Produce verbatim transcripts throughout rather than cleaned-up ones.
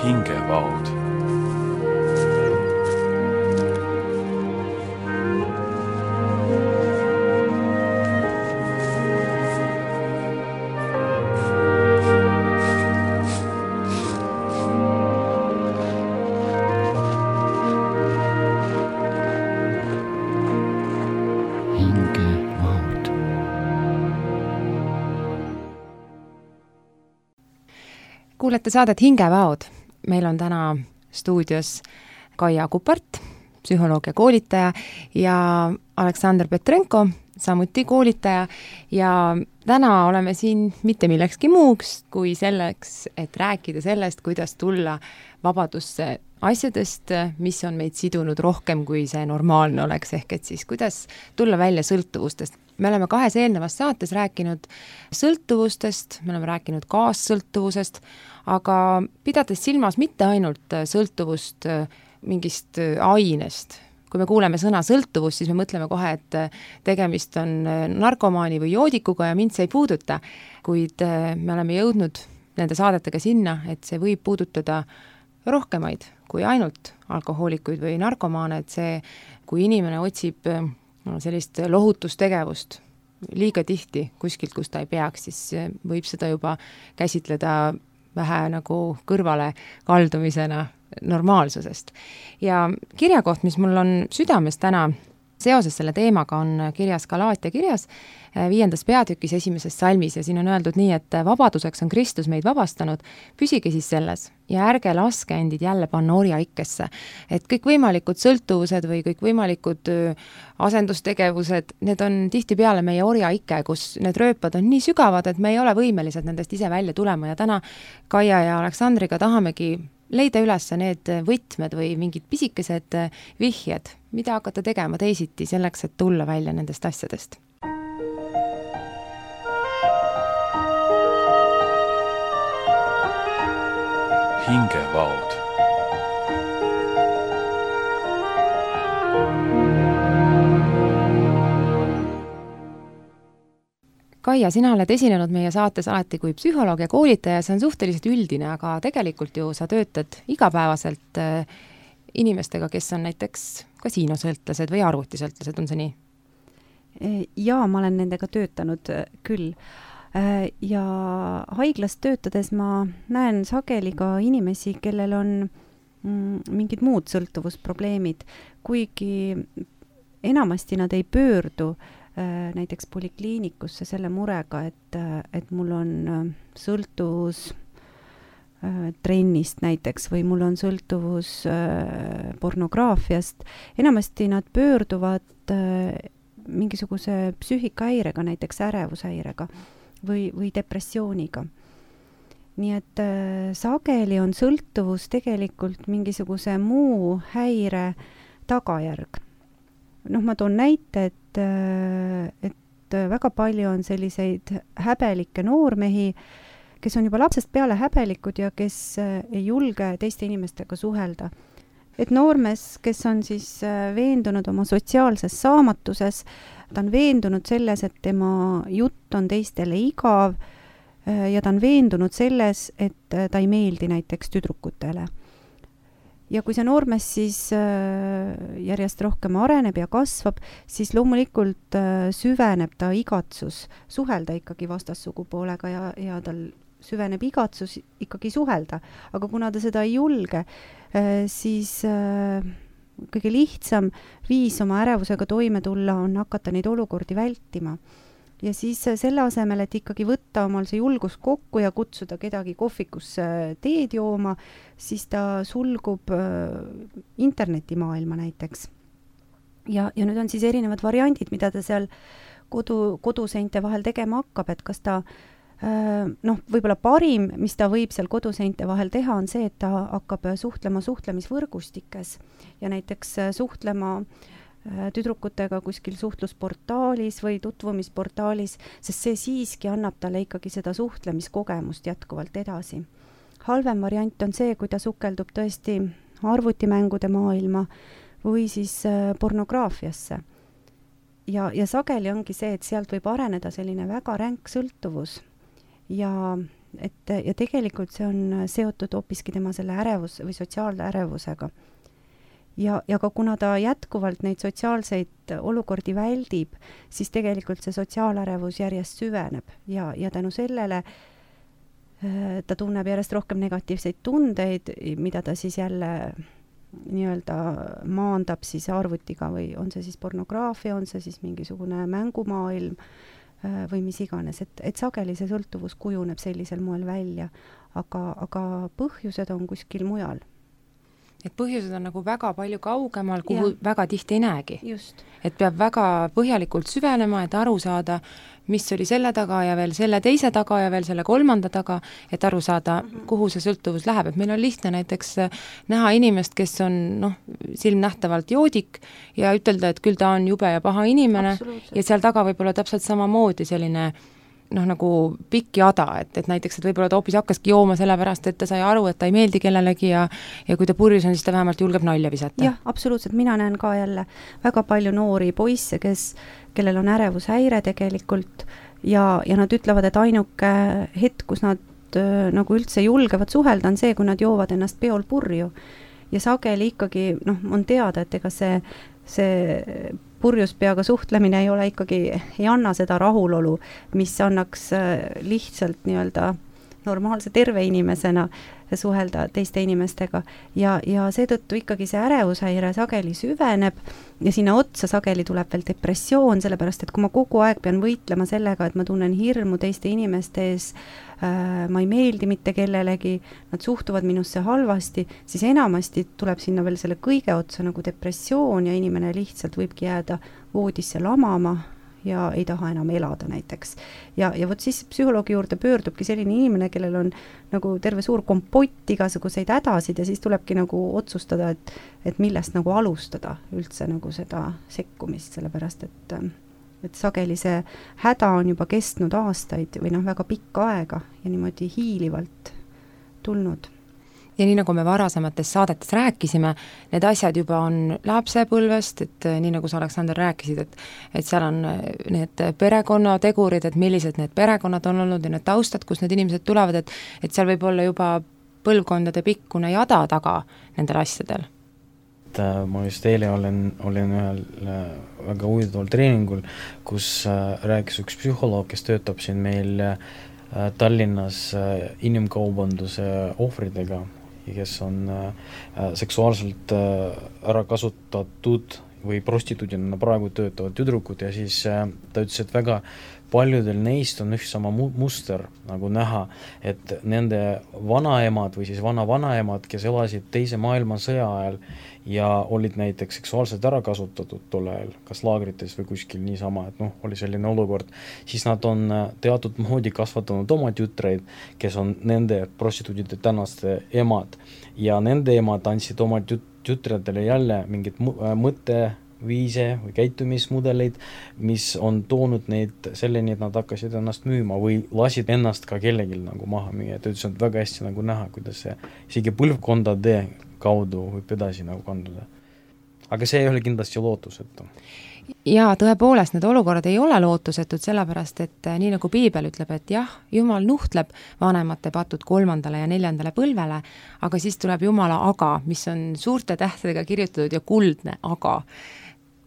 hingevaod. Kuulete saadet Hingevaod. Meil on täna stuudios Kaia Kupart, psühholoog ja koolitaja, ja Aleksandr Petrenko, samuti koolitaja, ja täna oleme siin mitte millekski muuks kui selleks, et rääkida sellest, kuidas tulla vabadusse asjadest, mis on meid sidunud rohkem, kui see normaalne oleks, ehk et siis kuidas tulla välja sõltuvustest. Me oleme kahes eelnevas saates rääkinud sõltuvustest, me oleme rääkinud kaassõltuvusest, aga pidades silmas mitte ainult sõltuvust mingist ainest. Kui me kuuleme sõna sõltuvus, siis me mõtleme kohe, et tegemist on narkomaani või joodikuga ja mind see ei puuduta, kuid me oleme jõudnud nende saadetega sinna, et see võib puudutada rohkemaid kui ainult alkohoolikuid või narkomaane, et see, kui inimene otsib sellist lohutustegevust liiga tihti kuskilt, kus ta ei peaks, siis võib seda juba käsitleda vähe nagu kõrvale kaldumisena normaalsusest. Ja kirjakoht, mis mul on südames täna seoses selle teemaga, on kirjas Galaatia kirjas viiendas peatükis esimeses salmis, ja siin on öeldud nii, et vabaduseks on Kristus meid vabastanud, püsige siis selles ja ärge laske endid jälle panna orjaikkesse. Et kõik võimalikud sõltuvused või kõik võimalikud asendustegevused, need on tihtipeale meie orjaikke, kus need rööpad on nii sügavad, et me ei ole võimelised nendest ise välja tulema, ja täna Kaia ja Aleksandriga tahamegi leida üles need võtmed või mingid pisikesed vihjed, mida hakata tegema teisiti selleks, et tulla välja nendest asjadest. Hingevaod. Kaia, sina oled esinenud meie saates alati kui psühholoog ja koolitaja, see on suhteliselt üldine, aga tegelikult ju sa töötad igapäevaselt inimestega, kes on näiteks kasiinosõltlased või arvutisõltlased, on see nii? Jaa, ma olen nendega töötanud küll. Ja haiglas töötades ma näen sageli ka inimesi, kellel on mingid muud sõltuvusprobleemid, kuigi enamasti nad ei pöördu näiteks polikliinikusse selle murega, et, et mul on sõltuvus trennist näiteks või mul on sõltuvus pornograafiast. Enamasti nad pöörduvad mingisuguse psüühikahäirega, näiteks ärevushäirega või, või depressiooniga. Nii et sageli on sõltuvus tegelikult mingisuguse muu häire tagajärg. Noh, ma toon näite, et, et väga palju on selliseid häbelikke noormehi, kes on juba lapsest peale häbelikud ja kes ei julge teiste inimestega suhelda. Et noormees, kes on siis veendunud oma sotsiaalses saamatuses, ta on veendunud selles, et tema jutt on teistele igav, ja ta on veendunud selles, et ta ei meeldi näiteks tüdrukutele. Ja kui see noormees siis järjest rohkem areneb ja kasvab, siis loomulikult süveneb ta igatsus suhelda ikkagi vastassugupoolega ja, ja tal süveneb igatsus ikkagi suhelda. Aga kuna ta seda ei julge, siis kõige lihtsam viis oma ärevusega toime tulla on hakata neid olukordi vältima. Ja siis selle asemel, et ikkagi võtta omal see julgus kokku ja kutsuda kedagi kohvikusse teed jooma, siis ta sulgub internetimaailma näiteks. Ja, ja nüüd on siis erinevad variandid, mida ta seal kodu, koduseinte vahel tegema hakkab, et kas ta, noh, võib-olla parim, mis ta võib seal koduseinte vahel teha, on see, et ta hakkab suhtlema suhtlemisvõrgustikes ja näiteks suhtlema tüdrukutega kuskil suhtlusportaalis või tutvumisportaalis, sest see siiski annab talle ikkagi seda suhtlemiskogemust jätkuvalt edasi. Halvem variant on see, kui ta sukeldub tõesti arvutimängude maailma või siis pornograafiasse. Ja, ja sageli ongi see, et sealt võib areneda selline väga ränk sõltuvus ja et ja tegelikult see on seotud hoopiski tema selle ärevus või sotsiaalärevusega. Ja, ja ka kuna ta jätkuvalt neid sotsiaalseid olukordi väldib, siis tegelikult see sotsiaalärevus järjest süveneb ja, ja tänu sellele ta tunneb järjest rohkem negatiivseid tundeid, mida ta siis jälle nii-öelda maandab siis arvutiga või on see siis pornograafia, on see siis mingisugune mängumaailm või mis iganes, et, et sageli see sõltuvus kujuneb sellisel moel välja, aga, aga põhjused on kuskil mujal. Et põhjused on nagu väga palju kaugemal, kuhu ja. Väga tihti ei näegi. Just. Et peab väga põhjalikult süvenema, et aru saada, mis oli selle taga ja veel selle teise taga ja veel selle kolmanda taga, et aru saada, mm-hmm. kuhu see sõltuvus läheb. Et meil on lihtne näiteks näha inimest, kes on noh, silmnähtavalt joodik ja ütelda, et küll ta on jube ja paha inimene ja seal taga võib olla täpselt samamoodi selline noh, nagu pikk jada, et, et näiteks, et võib-olla ta hoopis hakkaski jooma sellepärast, et ta sai aru, et ta ei meeldi kellelegi ja, ja kui ta purjus on, siis ta vähemalt julgeb nalja visata. Jah, absoluutselt. Mina näen ka jälle väga palju noori poisse, kes, kellel on ärevushäire tegelikult ja, ja nad ütlevad, et ainuke hetk, kus nad äh, nagu üldse julgevad suhelda, on see, kui nad joovad ennast peol purju. Ja sageli ikkagi, noh, on teada, et ega see, see purjus peaga suhtlemine ei ole ikkagi, ei anna seda rahulolu, mis annaks lihtsalt nii-öelda normaalse terve inimesena suhelda teiste inimestega ja, ja seetõttu ikkagi see ärevushäire sageli süveneb ja sinna otsa sageli tuleb veel depressioon, sellepärast et kui ma kogu aeg pean võitlema sellega, et ma tunnen hirmu teiste inimeste ees, äh, ma ei meeldi mitte kellelegi, nad suhtuvad minusse halvasti, siis enamasti tuleb sinna veel selle kõige otsa nagu depressioon ja inimene lihtsalt võibki jääda voodisse lamama ja ei taha enam elada näiteks. Ja, ja vot siis psühholoogi juurde pöördubki selline inimene, kellel on nagu terve suur kompott igasuguseid hädasid ja siis tulebki nagu otsustada, et, et millest nagu alustada üldse nagu seda sekkumist, sellepärast et, et sageli see häda on juba kestnud aastaid või noh, väga pikka aega ja niimoodi hiilivalt tulnud. Ja nii nagu me varasemates saadetes rääkisime, need asjad juba on lapsepõlvest, et nii nagu sa, Aleksander, rääkisid, et, et seal on need perekonnategurid, et millised need perekonnad on olnud ja need taustad, kus need inimesed tulevad, et, et seal võib olla juba põlvkondade pikkune jada taga nendel asjadel. Ma just eile olen, olin ühel väga huvitaval treeningul, kus rääkis üks psühholoog, kes töötab siin meil Tallinnas inimkaubanduse ohvridega, kes on äh, seksuaalselt äh, ära kasutatud või prostituudina praegu töötavad tüdrukud ja siis äh, ta ütles, et väga paljudel neist on üks sama mu- muster nagu näha, et nende vanaemad või siis vana-vanaemad, kes elasid teise maailmasõja ajal ja olid näiteks seksuaalselt ära kasutatud tol ajal, kas laagrites või kuskil niisama, et noh, oli selline olukord, siis nad on teatud moodi kasvatanud oma tütreid, kes on nende prostituudide tänaste emad ja nende emad andsid oma tüt- tütredele jälle mingid mõtteviise või käitumismudeleid, mis on toonud neid selleni, et nad hakkasid ennast müüma või lasid ennast ka kellelgi nagu maha müüa, et ütles, et väga hästi nagu näha, kuidas see isegi põlvkondade kaudu võib edasi nagu kanduda. Aga see ei ole kindlasti lootusetu. Jaa, tõepoolest, need olukorrad ei ole lootusetud, sellepärast, et nii nagu Piibel ütleb, et jah, Jumal nuhtleb vanemate patud kolmandale ja neljandale põlvele, aga siis tuleb Jumala aga, mis on suurte tähtedega kirjutatud ja kuldne aga,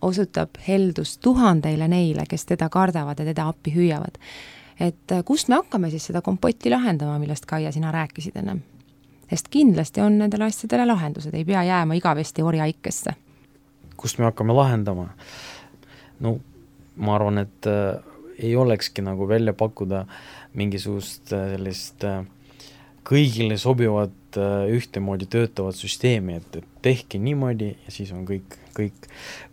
osutab heldust tuhandeile neile, kes teda kardavad ja teda appi hüüavad. Et kust me hakkame siis seda kompotti lahendama, millest Kaia sina rääkisid ennem? Sest kindlasti on nendele asjadele lahendused, ei pea jääma igavesti orjaikesse. Kust me hakkame lahendama? No ma arvan, et äh, ei olekski nagu välja pakkuda mingisugust äh, sellist äh, kõigile sobivat äh, ühtemoodi töötavat süsteemi, et, et tehke niimoodi ja siis on kõik, kõik,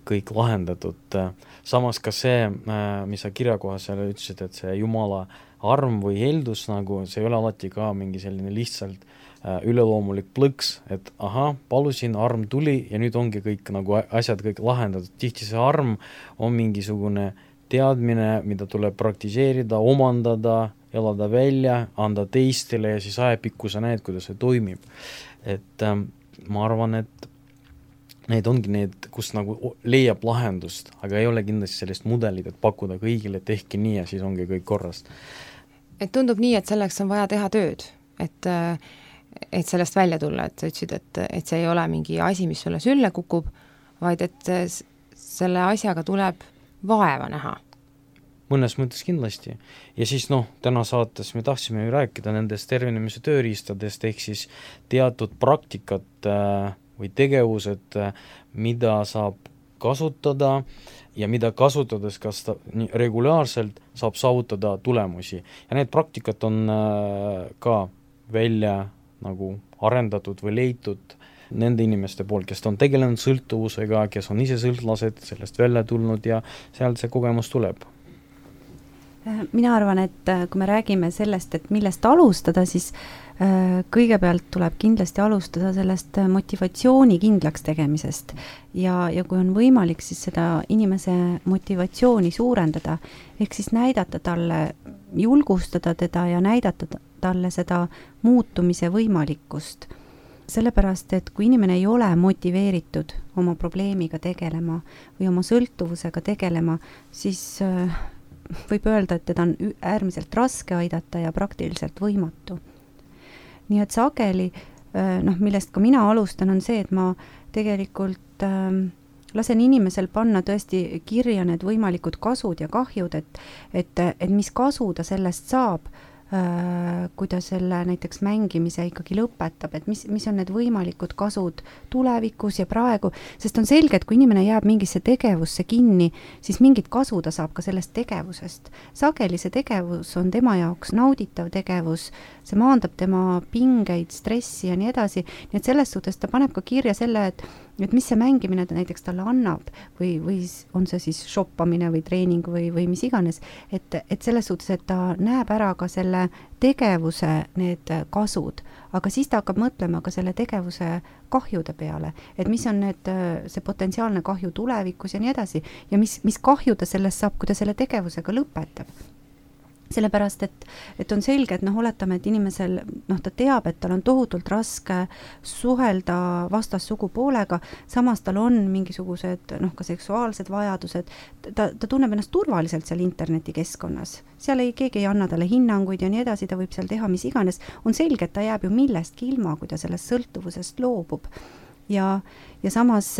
kõik lahendatud. Samas ka see, äh, mis sa kirjakohas seal ütlesid, et see Jumala arm või heldus, nagu see ei ole alati ka mingi selline lihtsalt üleloomulik plõks, et aha, palusin, arm tuli ja nüüd ongi kõik nagu asjad kõik lahendatud. Tihti see arm on mingisugune teadmine, mida tuleb praktiseerida, omandada, elada välja, anda teistele ja siis ajapikku sa näed, kuidas see toimib. Et ähm, ma arvan, et need ongi need, kus nagu leiab lahendust, aga ei ole kindlasti sellist mudelit, et pakkuda kõigile, tehke nii ja siis ongi kõik korrast. et tundub nii, et selleks on vaja teha tööd, et, et sellest välja tulla, et sa ütlesid, et, et see ei ole mingi asi, mis sulle sülle kukub, vaid et selle asjaga tuleb vaeva näha. Mõnes mõttes kindlasti. Ja siis noh, täna saates me tahtsime ju rääkida nendest tervenemise tööriistadest, ehk siis teatud praktikat või tegevused, mida saab kasutada ja mida kasutades kas ta, nii, regulaarselt saab saavutada tulemusi. Ja need praktikat on ka välja nagu arendatud või leitud nende inimeste poolt, kes on tegelenud sõltuvusega, kes on ise sõltlased, sellest välja tulnud ja sealt see kogemus tuleb. Mina arvan, et kui me räägime sellest, et millest alustada, siis kõigepealt tuleb kindlasti alustada sellest motivatsiooni kindlaks tegemisest ja, ja kui on võimalik, siis seda inimese motivatsiooni suurendada, ehk siis näidata talle, julgustada teda ja näidata talle seda muutumise võimalikkust. Sellepärast, et kui inimene ei ole motiveeritud oma probleemiga tegelema või oma sõltuvusega tegelema, siis võib öelda, et teda on äärmiselt raske aidata ja praktiliselt võimatu. Nii et sageli, noh, millest ka mina alustan, on see, et ma tegelikult äh, lasen inimesel panna tõesti kirja need võimalikud kasud ja kahjud, et, et, et mis kasu ta sellest saab, kui ta selle näiteks mängimise ikkagi lõpetab, et mis, mis on need võimalikud kasud tulevikus ja praegu, sest on selge, et kui inimene jääb mingisse tegevusse kinni, siis mingit kasu ta saab ka sellest tegevusest. Sageli see tegevus on tema jaoks nauditav tegevus, see maandab tema pingeid, stressi ja nii edasi, nii et selles suhtes ta paneb ka kirja selle, et et mis see mängimine näiteks talle annab või, või on see siis shoppamine või treening või, või mis iganes, et, et selles suhtes, et ta näeb ära ka selle tegevuse need kasud, aga siis ta hakkab mõtlema ka selle tegevuse kahjude peale, et mis on need, see potentsiaalne kahju tulevikus ja nii edasi ja mis, mis kahju ta sellest saab, kui ta selle tegevusega lõpetab. Sellepärast, et, et on selge, et noh, oletame, et inimesel, noh, ta teab, et tal on tohutult raske suhelda vastassugu poolega, samas tal on mingisugused, noh, ka seksuaalsed vajadused, ta, ta tunneb ennast turvaliselt seal internetikeskkonnas. Seal ei, keegi ei anna talle hinnanguid ja nii edasi, ta võib seal teha mis iganes. On selge, et ta jääb ju millestki ilma, kui ta sellest sõltuvusest loobub. Ja, ja samas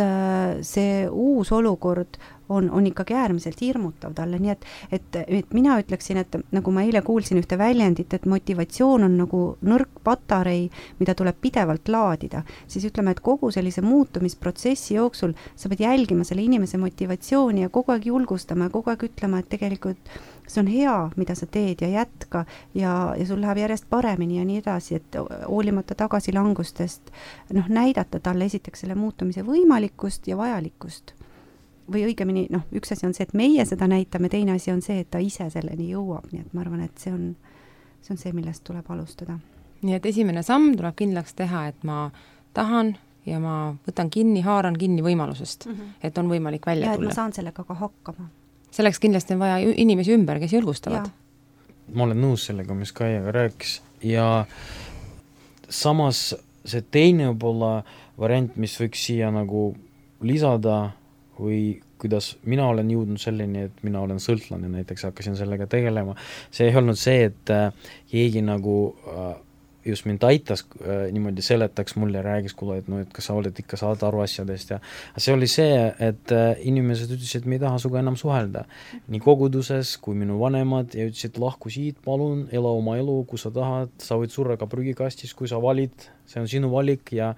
see uus olukord on, on ikkagi äärmiselt hirmutav talle, nii et, et, et mina ütleksin, et nagu ma eile kuulsin ühte väljendit, et motivatsioon on nagu nõrk patarei, mida tuleb pidevalt laadida, siis ütleme, et kogu sellise muutumisprotsessi jooksul sa pead jälgima selle inimese motivatsiooni ja kogu aeg julgustama ja kogu aeg ütlema, et tegelikult see on hea, mida sa teed ja jätka ja, ja sul läheb järjest paremini ja nii edasi, et hoolimata tagasilangustest noh, näidata talle esiteks selle muutumise võimalikkust ja vajalikkust. Või õigemini, noh, üks asi on see, et meie seda näitame, teine asi on see, et ta ise selleni jõuab, nii et ma arvan, et see on see, on see millest tuleb alustada. Nii et esimene samm tuleb kindlaks teha, et ma tahan ja ma võtan kinni, haaran kinni võimalusest, mm -hmm. et on võimalik välja ja, tulla. Ja et ma saan sellega ka hakkama. Selleks kindlasti on vaja inimesi ümber, kes julgustavad. Ja. Ma olen nõus sellega, mis Kaiaga rääkis ja samas see teine võib-olla variant, mis võiks siia nagu lisada või kuidas mina olen jõudnud selleni, et mina olen sõltlane, näiteks hakkasin sellega tegelema. See ei olnud see, et keegi nagu just mind aitas niimoodi seletaks mulle, räägis kuule, et no, et kas sa oled ikka saad aru asjadest ja see oli see, et inimesed ütlesid, et me ei taha suga enam suhelda. Nii koguduses kui minu vanemad ja ütlesid, lahku siit, palun, ela oma elu, kui sa tahad, sa võid surra ka prügikastis, kui sa valid, see on sinu valik ja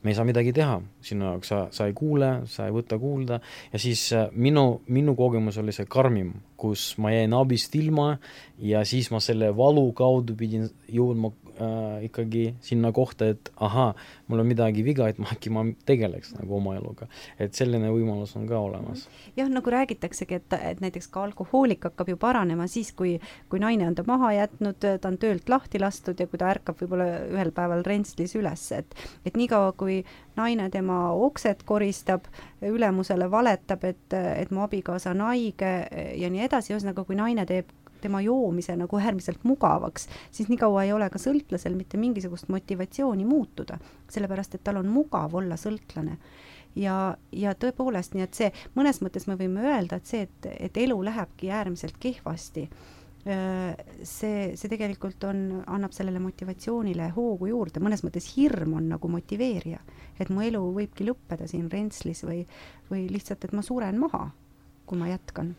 me ei saa midagi teha, sinu jaoks sa, sa ei kuule, sa ei võta kuulda ja siis minu, minu kogemus oli see karmim, kus ma jäin abist ilma ja siis ma selle valu kaudu pidin jõudma äh, ikkagi sinna kohta, et aha, mul on midagi viga, et ma äkki ma tegeleks nagu oma eluga. Et selline võimalus on ka olemas. Jah, nagu räägitaksegi, et, et näiteks ka alkohoolik hakkab ju paranema siis, kui, kui naine on ta maha jätnud, ta on töölt lahti lastud ja kui ta ärkab võib-olla ühel päeval rentslis üles, et, et niikaua kui naine tema okset koristab, ülemusele valetab, et, et mu abikaasa on haige ja nii edasi, ühesõnaga kui naine teeb tema joomise nagu äärmiselt mugavaks, siis nii kaua ei ole ka sõltlasel mitte mingisugust motivatsiooni muutuda, sellepärast et tal on mugav olla sõltlane. Ja, ja tõepoolest, nii et see, mõnes mõttes me võime öelda, et see, et, et elu lähebki äärmiselt kehvasti, see, see tegelikult on, annab sellele motivatsioonile hoogu juurde, mõnes mõttes hirm on nagu motiveerija, et mu elu võibki lõppeda siin Rentslis või, või lihtsalt, et ma suren maha, kui ma jätkan.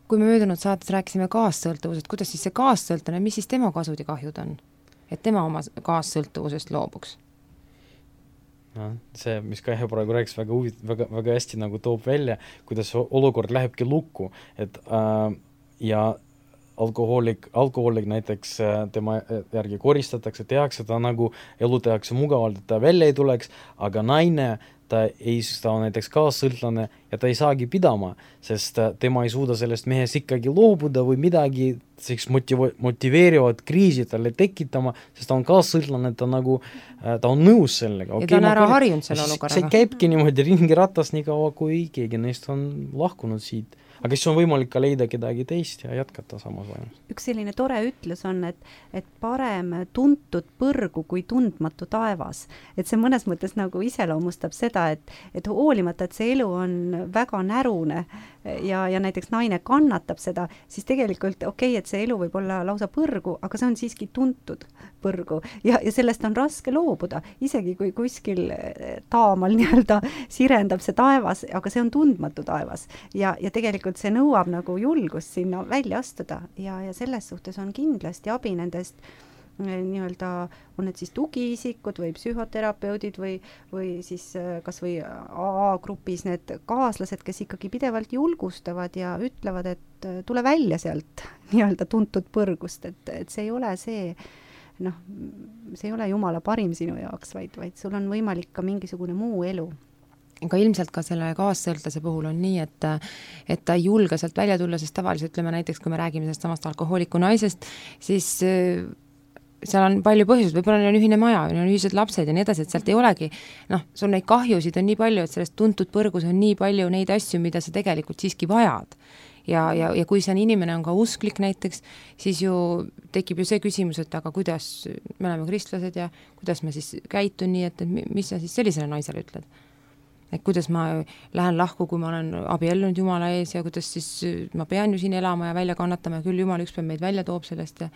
Kui me möödunud saates rääkisime kaassõltuvusest, kuidas siis see kaassõltune, mis siis tema kasud ja kahjud on? Et tema oma kaassõltuvusest loobuks? No, see, mis Kaia praegu rääkis, väga, huvit, väga, väga hästi nagu toob välja, kuidas olukord lähebki lukku, et äh, ja alkohoolik, alkohoolik näiteks tema järgi koristatakse, tehakse ta nagu, elu tehakse mugavalt, et ta välja ei tuleks, aga naine, ta ei, ta on näiteks kaassõltlane ja ta ei saagi pidama, sest tema ei suuda sellest mehes ikkagi loobuda või midagi selleks motiv- motiveerivad kriisi talle tekitama, sest ta on kaassõltlane, ta nagu, ta on nõus sellega. Ja okay, ta on ära harjunud selle olukorraga. See käibki niimoodi ringi ratas nii kaua, kui keegi neist on lahkunud siit. Aga siis on võimalik ka leida kedagi teist ja jätkata samas vaimus. Üks selline tore ütlus on, et, et parem tuntud põrgu kui tundmatu taevas. Et see mõnes mõttes nagu iseloomustab seda, et, et hoolimata, et see elu on väga närune ja, ja näiteks naine kannatab seda, siis tegelikult okei, okay, et see elu võib olla lausa põrgu, aga see on siiski tuntud põrgu ja, ja sellest on raske loobuda, isegi kui kuskil taamal nii-öelda sirendab see taevas, aga see on tundmatu taevas ja, ja tegelikult see nõuab nagu julgust sinna välja astuda ja, ja selles suhtes on kindlasti abi nendest nii-öelda, on need siis tugiisikud või psühhoterapeudid või, või siis kas või A A-grupis need kaaslased, kes ikkagi pidevalt julgustavad ja ütlevad, et tule välja sealt nii-öelda tuntud põrgust, et, et see ei ole see, noh, see ei ole Jumala parim sinu jaoks, vaid, vaid sul on võimalik ka mingisugune muu elu. Aga ilmselt ka selle kaassõltlase puhul on nii, et, et ta ei julge sealt välja tulla, sest tavaliselt ütleme näiteks, kui me räägime sellest samast alkohooliku naisest, siis seal on palju põhjused, võib-olla neil on ühine maja, neil on ühised lapsed ja nii edasi, et sealt ei olegi, noh, sul neid kahjusid on nii palju, et sellest tuntud põrgus on nii palju neid asju, mida sa tegelikult siiski vajad. Ja, ja, ja kui see inimene on ka usklik näiteks, siis ju tekib ju see küsimus, et aga kuidas, me oleme kristlased ja kuidas ma siis käitun nii, et, et mis sa siis sellisele naisele ütled? Et kuidas ma lähen lahku, kui ma olen abiellunud Jumala ees ja kuidas siis ma pean ju siin elama ja välja kannatama ja küll Jumal ükspäev meid välja toob sellest ja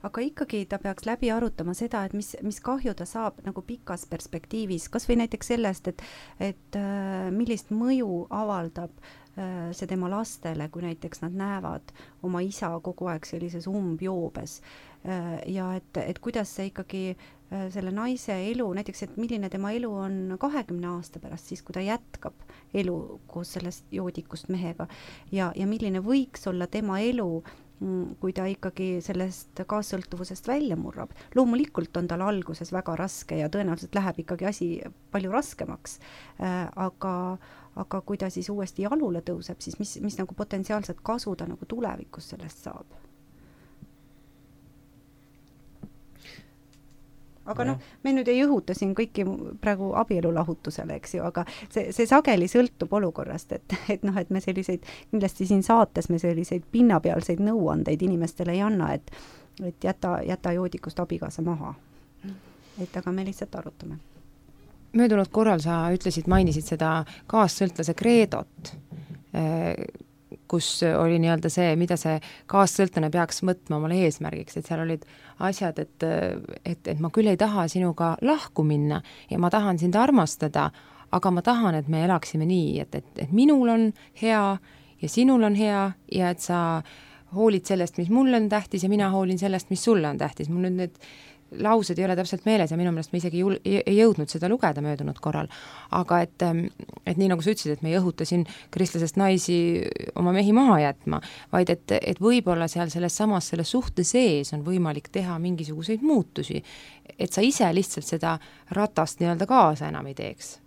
aga ikkagi ta peaks läbi arutama seda, et mis, mis kahju ta saab nagu pikas perspektiivis, kas või näiteks sellest, et, et äh, millist mõju avaldab äh, see tema lastele, kui näiteks nad näevad oma isa kogu aeg sellises umbjoobes äh, ja et, et kuidas see ikkagi äh, selle naise elu, näiteks, et milline tema elu on kahekümne aasta pärast, siis kui ta jätkab elu koos sellest joodikust mehega ja, ja milline võiks olla tema elu, kui ta ikkagi sellest kaassõltuvusest välja murrab. Loomulikult on tal alguses väga raske ja tõenäoliselt läheb ikkagi asi palju raskemaks, äh, aga, aga kui ta siis uuesti jalule tõuseb, siis mis, mis nagu potentsiaalselt kasu ta nagu tulevikus sellest saab? Aga noh, me nüüd ei õhuta siin kõiki praegu abielulahutusele, eks ju, aga see, see sageli sõltub olukorrast, et, et noh, et me selliseid, kindlasti siin saates me selliseid pinnapealseid nõuandeid inimestele ei anna, et, et jäta, jäta joodikust abikaasa maha. Et aga me lihtsalt arutame. Möödunud korral sa ütlesid, mainisid seda kaassõltlase kreedot, kus oli nii-öelda see, mida see kaassõltlane peaks mõtma omale eesmärgiks, et seal olid asjad, et, et, et ma küll ei taha sinuga lahku minna ja ma tahan sind armastada, aga ma tahan, et me elaksime nii, et, et, et minul on hea ja sinul on hea ja et sa hoolid sellest, mis mulle on tähtis ja mina hoolin sellest, mis sulle on tähtis. Mul nüüd need laused ei ole täpselt meeles ja minu meelest me isegi jul, ei jõudnud seda lugeda möödunud korral. Aga et, et nii nagu sa ütlesid, et me ei õhuta siin kristlasest naisi oma mehi maha jätma, vaid et, et võib-olla seal selles samas selles suhte sees on võimalik teha mingisuguseid muutusi, et sa ise lihtsalt seda ratast nii-öelda kaasa enam ei teeks.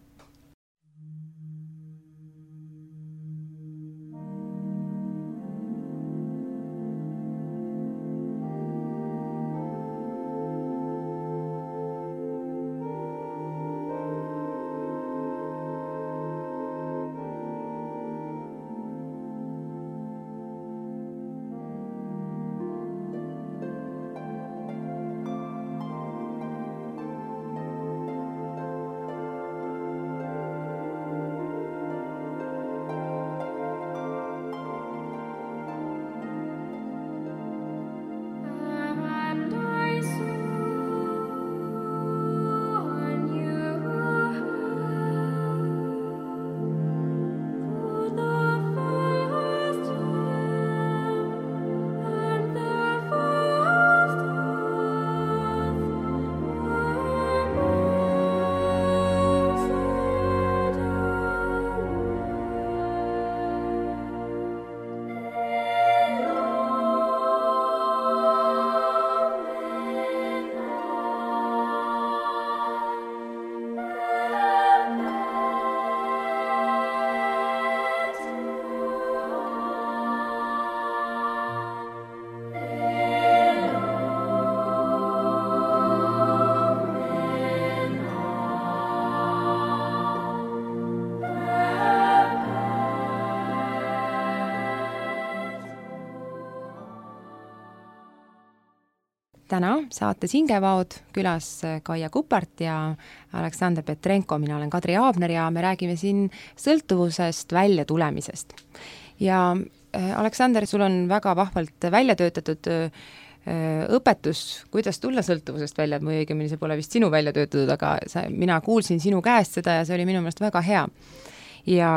täna saates Hingevaod külas Kaia Kupart ja Aleksander Petrenko, mina olen Kadri Aabner ja me räägime siin sõltuvusest välja tulemisest. Ja Aleksander, sul on väga vahvalt välja töötatud õpetus, kuidas tulla sõltuvusest välja, et mu õigemini see pole vist sinu välja töötatud, aga sa, mina kuulsin sinu käest seda ja see oli minu meelest väga hea. Ja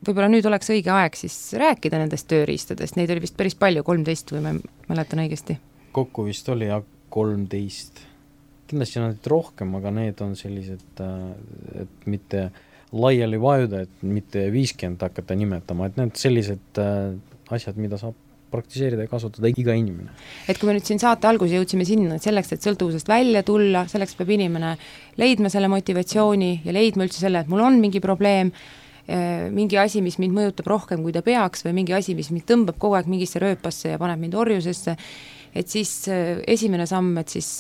võib-olla nüüd oleks õige aeg siis rääkida nendest tööriistadest, neid oli vist päris palju, kolmteist või ma mäletan õigesti? Kokku vist oli jah kolmteist. Kindlasti on need rohkem, aga need on sellised, et mitte laiali vajuda, et mitte viiskümmend hakata nimetama, et need sellised asjad, mida saab praktiseerida ja kasutada iga inimene. Et kui me nüüd siin saate alguse jõudsime sinna, et selleks, et sõltuvusest välja tulla, selleks peab inimene leidma selle motivatsiooni ja leidma üldse selle, et mul on mingi probleem, mingi asi, mis mind mõjutab rohkem, kui ta peaks, või mingi asi, mis mind tõmbab kogu aeg mingisse rööpasse ja paneb mind orjusesse, et siis esimene samm, et siis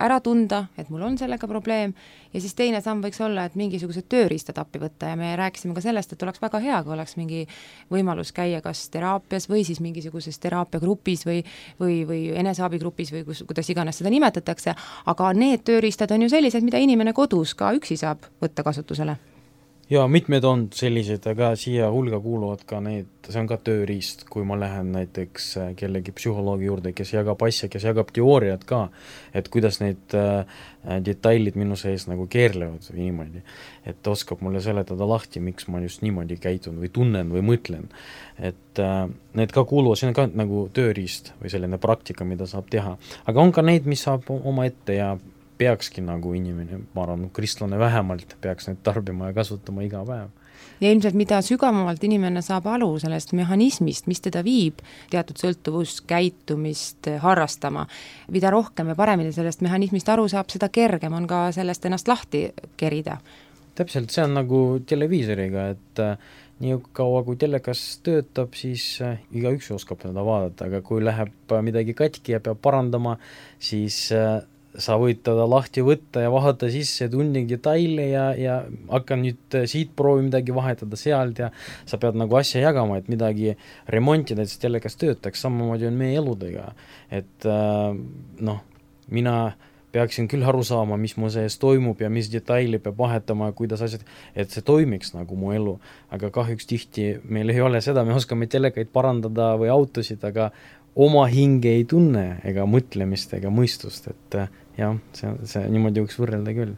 ära tunda, et mul on sellega probleem, ja siis teine samm võiks olla, et mingisugused tööriistad appi võtta ja me rääkisime ka sellest, et oleks väga hea, kui oleks mingi võimalus käia kas teraapias või siis mingisuguses teraapiagrupis või, või, või eneseabigrupis või kus, kuidas iganes seda nimetatakse, aga need tööriistad on ju sellised, mida inimene kodus ka üksi saab võtta kasutusele. Ja mitmed on sellised, aga siia hulga kuuluvad ka need, see on ka tööriist, kui ma lähen näiteks kellegi psühholoogi juurde, kes jagab asja, kes jagab teooriat ka, et kuidas need äh, detailid minu sees nagu keerlevad või niimoodi, et oskab mulle seletada lahti, miks ma just niimoodi käitun või tunnen või mõtlen, et äh, need ka kuuluvad, see on ka nagu tööriist või selline praktika, mida saab teha, aga on ka neid, mis saab oma ette ja peakski nagu inimene, ma arvan, kristlane vähemalt peaks need tarbima ja kasutama iga päev. Ja ilmselt mida sügavamalt inimene saab alu sellest mehhanismist, mis teda viib teatud sõltuvuskäitumist harrastama, mida rohkem ja paremini sellest mehhanismist aru saab, seda kergem on ka sellest ennast lahti kerida. Täpselt, see on nagu televiisoriga, et nii kaua kui telekas töötab, siis iga üks oskab seda vaadata, aga kui läheb midagi katki ja peab parandama, siis sa võid teda lahti võtta ja vaadata sisse tunni detaile ja, ja hakka nüüd siit proovi midagi vahetada sealt ja sa pead nagu asja jagama, et midagi remontida, et see telekas töötaks, samamoodi on meie eludega. Et noh, mina peaksin küll aru saama, mis mu sees toimub ja mis detaili peab vahetama ja kuidas asjad, et see toimiks nagu mu elu. Aga kahjuks tihti meil ei ole seda, me oskame telekaid parandada või autosid, aga oma hinge ei tunne ega mõtlemist ega mõistust, et jah, see, see niimoodi võiks võrrelda küll.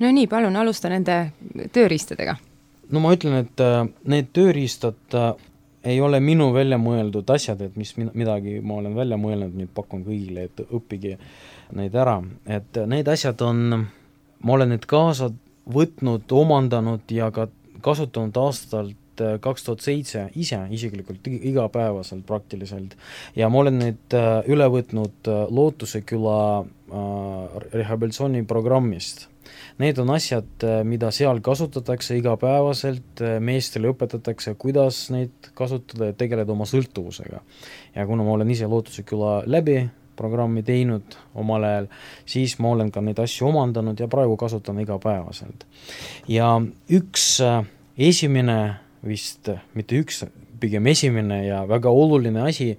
No nii, palun, alusta nende tööriistadega. No ma ütlen, et äh, need tööriistad äh, ei ole minu välja mõeldud asjad, et mis midagi ma olen välja mõelnud, nüüd pakun kõigile, et õppige neid ära. Et need asjad on, ma olen need kaasa võtnud, omandanud ja ka kasutanud aastalt kaks tuhat seitse ise isiklikult igapäevaselt praktiliselt ja ma olen neid üle võtnud Lootuse küla rehabilitatsiooniprogrammist. Need on asjad, mida seal kasutatakse igapäevaselt, meestele õpetatakse, kuidas neid kasutada ja tegeleda oma sõltuvusega. Ja kuna ma olen ise Lootuse küla läbi programmi teinud omal ajal, siis ma olen ka neid asju omandanud ja praegu kasutan igapäevaselt. Ja üks esimene vist mitte üks, pigem esimene ja väga oluline asi,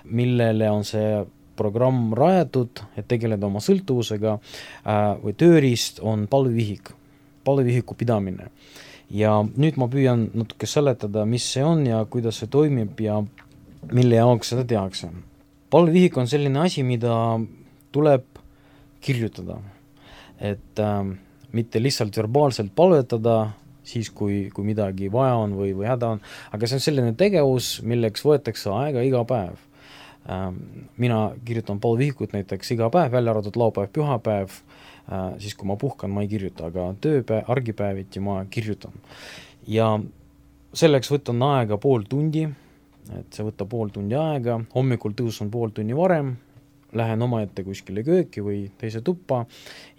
millele on see programm rajatud, et tegeleda oma sõltuvusega äh, või tööriist on palvevihik, palvevihiku pidamine. Ja nüüd ma püüan natuke seletada, mis see on ja kuidas see toimib ja mille jaoks seda tehakse. Palvevihik on selline asi, mida tuleb kirjutada, et äh, mitte lihtsalt verbaalselt palvetada, siis kui, kui midagi vaja on või, või häda on, aga see on selline tegevus, milleks võetakse aega iga päev. Mina kirjutan palvevihikut näiteks iga päev, välja arvatud laupäev, pühapäev, siis kui ma puhkan, ma ei kirjuta, aga tööpäev, argipäeviti ma kirjutan. Ja selleks võtan aega pool tundi, et see võtta pool tundi aega, hommikul tõusun pool tunni varem, lähen oma ette kuskile kööki või teise tuppa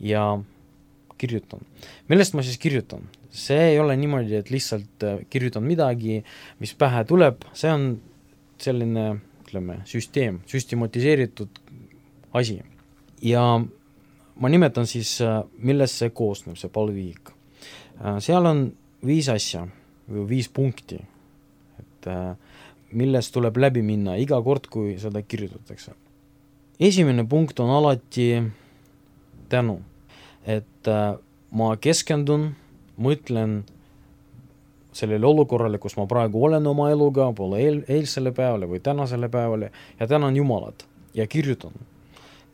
ja kirjutan. Millest ma siis kirjutan? See ei ole niimoodi, et lihtsalt kirjutan midagi, mis pähe tuleb, see on selline, ütleme, süsteem, süstematiseeritud asi. Ja ma nimetan siis, millest see koosneb, see palvevihik. Seal on viis asja või viis punkti, et millest tuleb läbi minna iga kord, kui seda kirjutatakse. esimene punkt on alati tänu, et äh, ma keskendun, mõtlen sellele olukorrale, kus ma praegu olen oma eluga, pole eel, eilsele päevale või tänasele päevale ja tänan Jumalat ja kirjutan.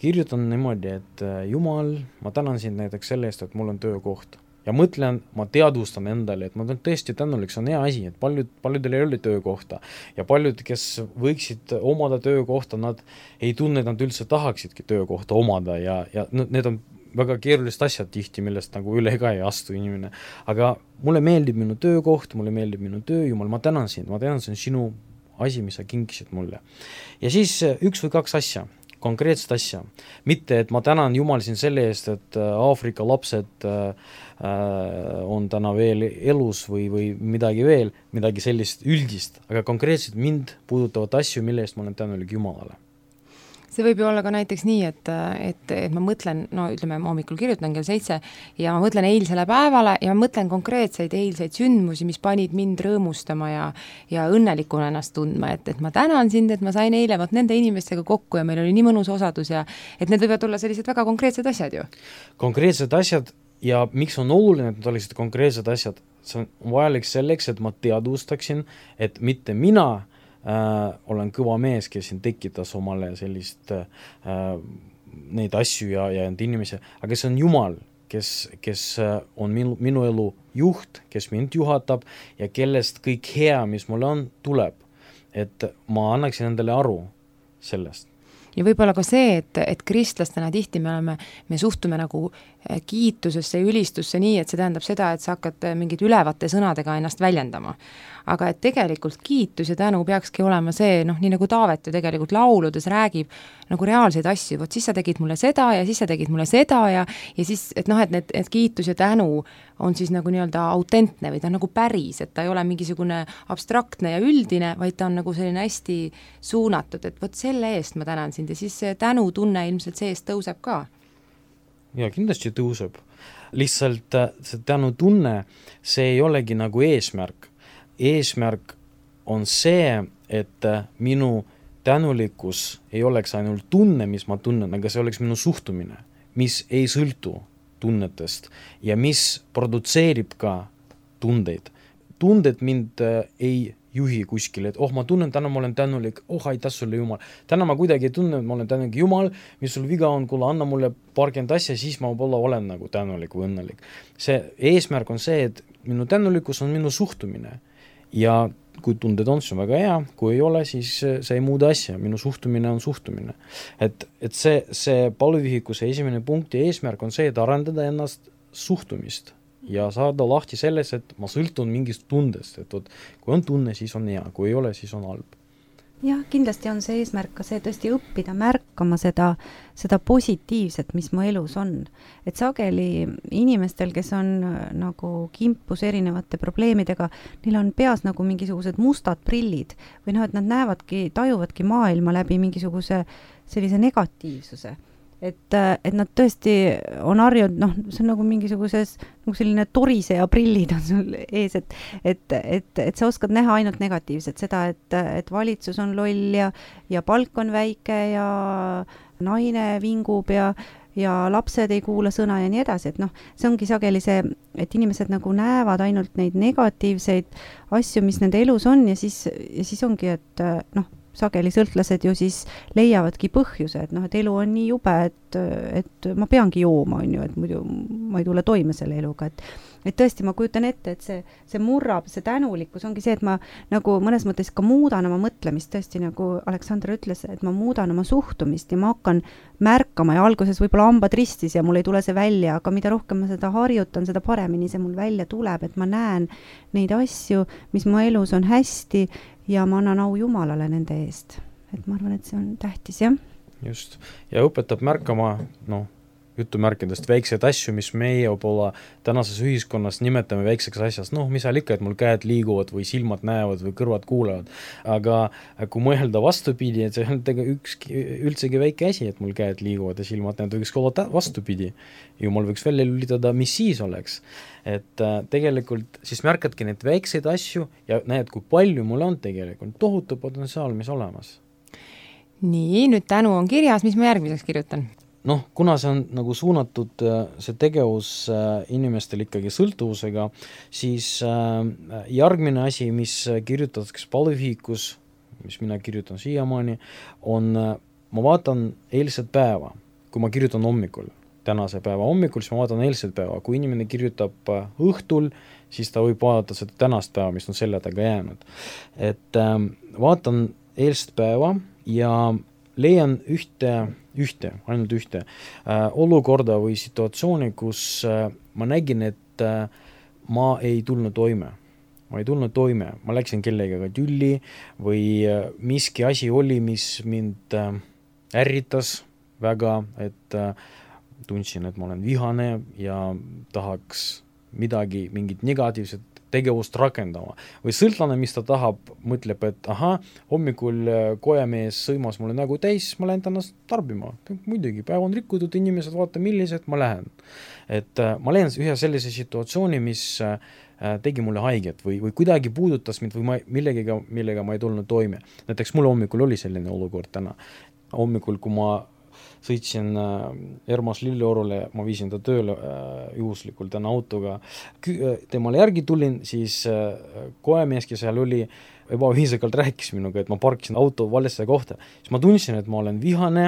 Kirjutan niimoodi, et Jumal, ma tänan sind näiteks selle eest, et mul on töökoht. Ja mõtlen, ma teadvustan endale, et ma olen tõesti tänulik, see on hea asi, et paljud, paljudel ei ole töökohta ja paljud, kes võiksid omada töökohta, nad ei tunne, et nad üldse tahaksidki töökohta omada ja, ja need on väga keerulist asjad tihti, millest nagu üle ka ei astu inimene. Aga mulle meeldib minu töökoht, mulle meeldib minu töö, Jumal, ma tänan sind, ma tänan sind sinu asi, mis sa kinkisid mulle. Ja siis üks või kaks asja, konkreetset asja. Mitte, et ma tänan Jumal siin selle eest, et Aafrika lapsed äh, on täna veel elus või, või midagi veel, midagi sellist üldist, aga konkreetselt mind puudutavad asju, mille eest ma olen tänulik Jumalale. See võib ju olla ka näiteks nii, et, et, et ma mõtlen, no ütleme, ma hommikul kirjutan kell seitse ja ma mõtlen eilsele päevale ja ma mõtlen konkreetseid eilseid sündmusi, mis panid mind rõõmustama ja, ja õnnelikuna ennast tundma, et, et ma tänan sind, et ma sain eile vaat nende inimestega kokku ja meil oli nii mõnus osadus ja et need võivad olla sellised väga konkreetsed asjad ju. Konkreetsed asjad ja miks on oluline, et need oleksid konkreetsed asjad, see on vajalik selleks, et ma teadvustaksin, et mitte mina Äh, olen kõva mees, kes siin tekitas omale sellist äh, neid asju ja, ja need inimesi, aga see on Jumal, kes, kes on minu, minu elu juht, kes mind juhatab ja kellest kõik hea, mis mul on, tuleb. Et ma annaksin endale aru sellest. Ja võib-olla ka see, et, et kristlastena tihti me oleme, me suhtume nagu kiitusesse ja ülistusse nii, et see tähendab seda, et sa hakkad mingid ülevate sõnadega ennast väljendama. Aga et tegelikult kiitus ja tänu peakski olema see, noh, nii nagu Taavet ju tegelikult lauludes räägib nagu reaalseid asju, vot siis sa tegid mulle seda ja siis sa tegid mulle seda ja, ja siis, et noh, et need, et kiitus ja tänu on siis nagu nii-öelda autentne või ta on nagu päris, et ta ei ole mingisugune abstraktne ja üldine, vaid ta on nagu selline hästi suunatud, et vot selle eest ma tänan sind ja siis see tänu tunne ilmselt seest tõuseb ka. Ja kindlasti tõuseb. Lihtsalt see tänu tunne, see ei olegi nagu eesmärk. Eesmärk on see, et minu tänulikkus ei oleks ainult tunne, mis ma tunnen, aga see oleks minu suhtumine, mis ei sõltu tunnetest ja mis produtseerib ka tundeid. Tunded mind ei juhi kuskile, et oh, ma tunnen, täna ma olen tänulik, oh, aitäh sulle Jumal. Täna ma kuidagi ei tunne, et ma olen tänulik Jumal, mis sul viga on, kuule, anna mulle paarkümmend asja, siis ma võib-olla olen nagu tänulik või õnnelik. See eesmärk on see, et minu tänulikkus on minu suhtumine ja kui tunded on, see on väga hea, kui ei ole, siis see ei muuda asja, minu suhtumine on suhtumine. Et, et see, see palvevihikuse esimene punkt ja eesmärk on see, et arendada ennast suhtumist ja saada lahti selles, et ma sõltun mingist tundest, et oot, kui on tunne, siis on hea, kui ei ole, siis on halb. Jah, kindlasti on see eesmärk ka see tõesti õppida märkama seda, seda positiivset, mis mu elus on. Et sageli inimestel, kes on nagu kimpus erinevate probleemidega, neil on peas nagu mingisugused mustad prillid või noh, et nad näevadki, tajuvadki maailma läbi mingisuguse sellise negatiivsuse. Et, et nad tõesti on harjunud, noh, see on nagu mingisuguses nagu selline toriseja prillid on sul ees, et, et, et, et sa oskad näha ainult negatiivset, seda, et, et valitsus on loll ja, ja palk on väike ja naine vingub ja, ja lapsed ei kuula sõna ja nii edasi, et noh, see ongi sageli see, et inimesed nagu näevad ainult neid negatiivseid asju, mis nende elus on ja siis, ja siis ongi, et noh, sageli sõltlased ju siis leiavadki põhjuse, et noh, et elu on nii jube, et, et ma peangi jooma, on ju, et muidu ma ei tule toime selle eluga, et, et tõesti ma kujutan ette, et see, see murrab, see tänulikkus ongi see, et ma nagu mõnes mõttes ka muudan oma mõtlemist, tõesti nagu Aleksandr ütles, et ma muudan oma suhtumist ja ma hakkan märkama ja alguses võib-olla hambad ristis ja mul ei tule see välja, aga mida rohkem ma seda harjutan, seda paremini see mul välja tuleb, et ma näen neid asju, mis mu elus on hästi ja ma annan au Jumalale nende eest. Et ma arvan, et see on tähtis, jah. Just. Ja õpetab märkama, noh, jutumärkidest väikseid asju, mis meie võib-olla tänases ühiskonnas nimetame väikseks asjast. Noh, mis seal ikka, et mul käed liiguvad või silmad näevad või kõrvad kuulevad. Aga kui mõelda vastupidi, et see on üks, üldsegi väike asi, et mul käed liiguvad ja silmad näevad, võiks olla vastupidi. Jumal võiks välja lülitada, mis siis oleks. Et äh, tegelikult siis märkadki neid väikseid asju ja näed, kui palju mul on tegelikult tohutu potentsiaal, mis olemas. nii, nüüd tänu on kirjas, mis ma järgmiseks kirjutan? Noh, kuna see on nagu suunatud see tegevus inimestel ikkagi sõltuvusega, siis järgmine asi, mis kirjutatakse palvevihikus, mis mina kirjutan siiamaani, on, ma vaatan eilset päeva, kui ma kirjutan hommikul, tänase päeva hommikul, siis ma vaatan eilset päeva, kui inimene kirjutab õhtul, siis ta võib vaadata seda tänast päeva, mis on selle taga jäänud. Et vaatan eilset päeva ja leian ühte, ühte, ainult ühte äh, olukorda või situatsiooni, kus äh, ma nägin, et äh, ma ei tulnud toime. Ma ei tulnud toime, ma läksin kellegagi tülli või äh, miski asi oli, mis mind äh, ärritas väga, et äh, tundsin, et ma olen vihane ja tahaks midagi, mingit negatiivset tegevust rakendama. Või sõltlane, mis ta tahab, mõtleb, et aha, hommikul kojamees sõimas mulle nägu täis, ma lähen tänast tarbima. Muidugi, päev on rikkutud, inimesed vaata, millised, ma lähen. Et äh, ma lähen ühe sellise situatsiooni, mis äh, tegi mulle haiget või, või kuidagi puudutas mind või ma, millegagi, millega ma ei tulnud toime. Näiteks mul hommikul oli selline olukord täna. Hommikul, kui ma sõitsin Ermas Lilleorule, ma viisin ta tööle juhuslikult täna autoga, temale järgi tulin, siis koemees, kes seal oli, ebaviisakalt rääkis minuga, et ma parkisin auto valesse kohta. Siis ma tundsin, et ma olen vihane,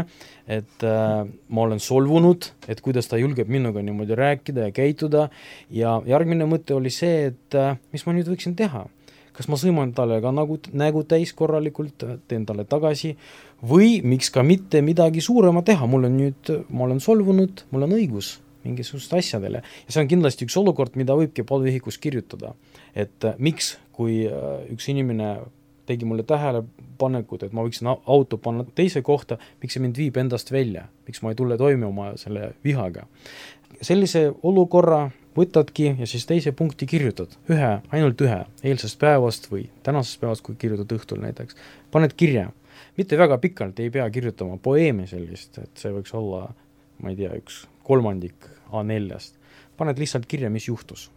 et ma olen solvunud, et kuidas ta julgeb minuga niimoodi rääkida ja käituda ja järgmine mõte oli see, et mis ma nüüd võiksin teha. Kas ma sõiman talle ka nägu, nägu täis korralikult, teen talle tagasi või miks ka mitte midagi suurema teha, mul on nüüd, ma olen solvunud, mul on õigus mingisugust asjadele. Ja see on kindlasti üks olukord, mida võibki palvevihikus kirjutada. Et miks, kui üks inimene tegi mulle tähelepanekut, et ma võiksin auto panna teise kohta, miks see mind viib endast välja, miks ma ei tule toime oma selle vihaga. Sellise olukorra võtadki ja siis teise punkti kirjutad, ühe, ainult ühe, eilsest päevast või tänasest päevast, kui kirjutad õhtul näiteks, paned kirja. Mitte väga pikalt ei pea kirjutama poeemi sellist, et see võiks olla, ma ei tea, üks kolmandik A neljast. Paned lihtsalt kirja, mis juhtus.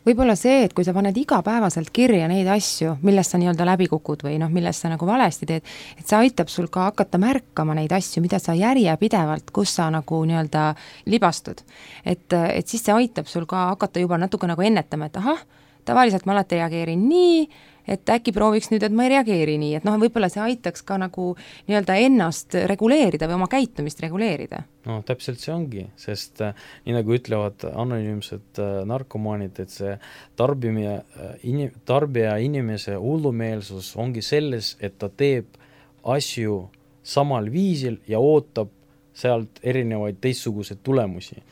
Võib-olla see, et kui sa paned igapäevaselt kirja neid asju, millest sa nii-öelda läbi kukud või noh, millest sa nagu valesti teed, et see aitab sul ka hakata märkama neid asju, mida sa järjepidevalt, kus sa nagu nii-öelda libastud. Et, et siis see aitab sul ka hakata juba natuke nagu ennetama, et ahah, tavaliselt ma alati reageerin nii, et äkki prooviks nüüd, et ma ei reageeri nii, et noh, võib-olla see aitaks ka nagu nii-öelda ennast reguleerida või oma käitumist reguleerida. No täpselt see ongi, sest äh, nii nagu ütlevad anonüümsed äh, narkomaanid, et see tarbimia, äh, inim, tarbija inimese hullumeelsus ongi selles, et ta teeb asju samal viisil ja ootab sealt erinevaid teistsuguseid tulemusi.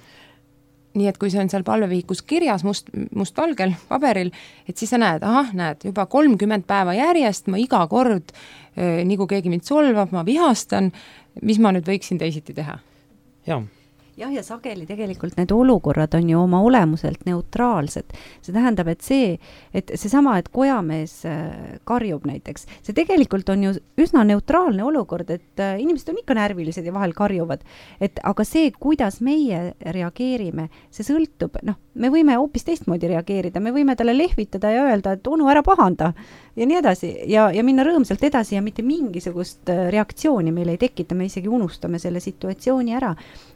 Nii et kui see on seal palvevihikus kirjas must, mustvalgel paberil, et siis sa näed, ahah, näed, juba kolmkümmend päeva järjest, ma iga kord, nii kui keegi mind solvab, ma vihastan, mis ma nüüd võiksin teisiti teha? Jah. jah, ja sageli tegelikult need olukorrad on ju oma olemuselt neutraalsed. See tähendab, et see, et seesama, et kojamees karjub näiteks, see tegelikult on ju üsna neutraalne olukord, et inimesed on ikka närvilised ja vahel karjuvad. Et, aga see, kuidas meie reageerime, see sõltub, noh, me võime hoopis teistmoodi reageerida, me võime talle lehvitada ja öelda, et onu, ära pahanda ja nii edasi ja, ja minna rõõmsalt edasi ja mitte mingisugust reaktsiooni meil ei tekita, me isegi unustame selle situatsiooni ära.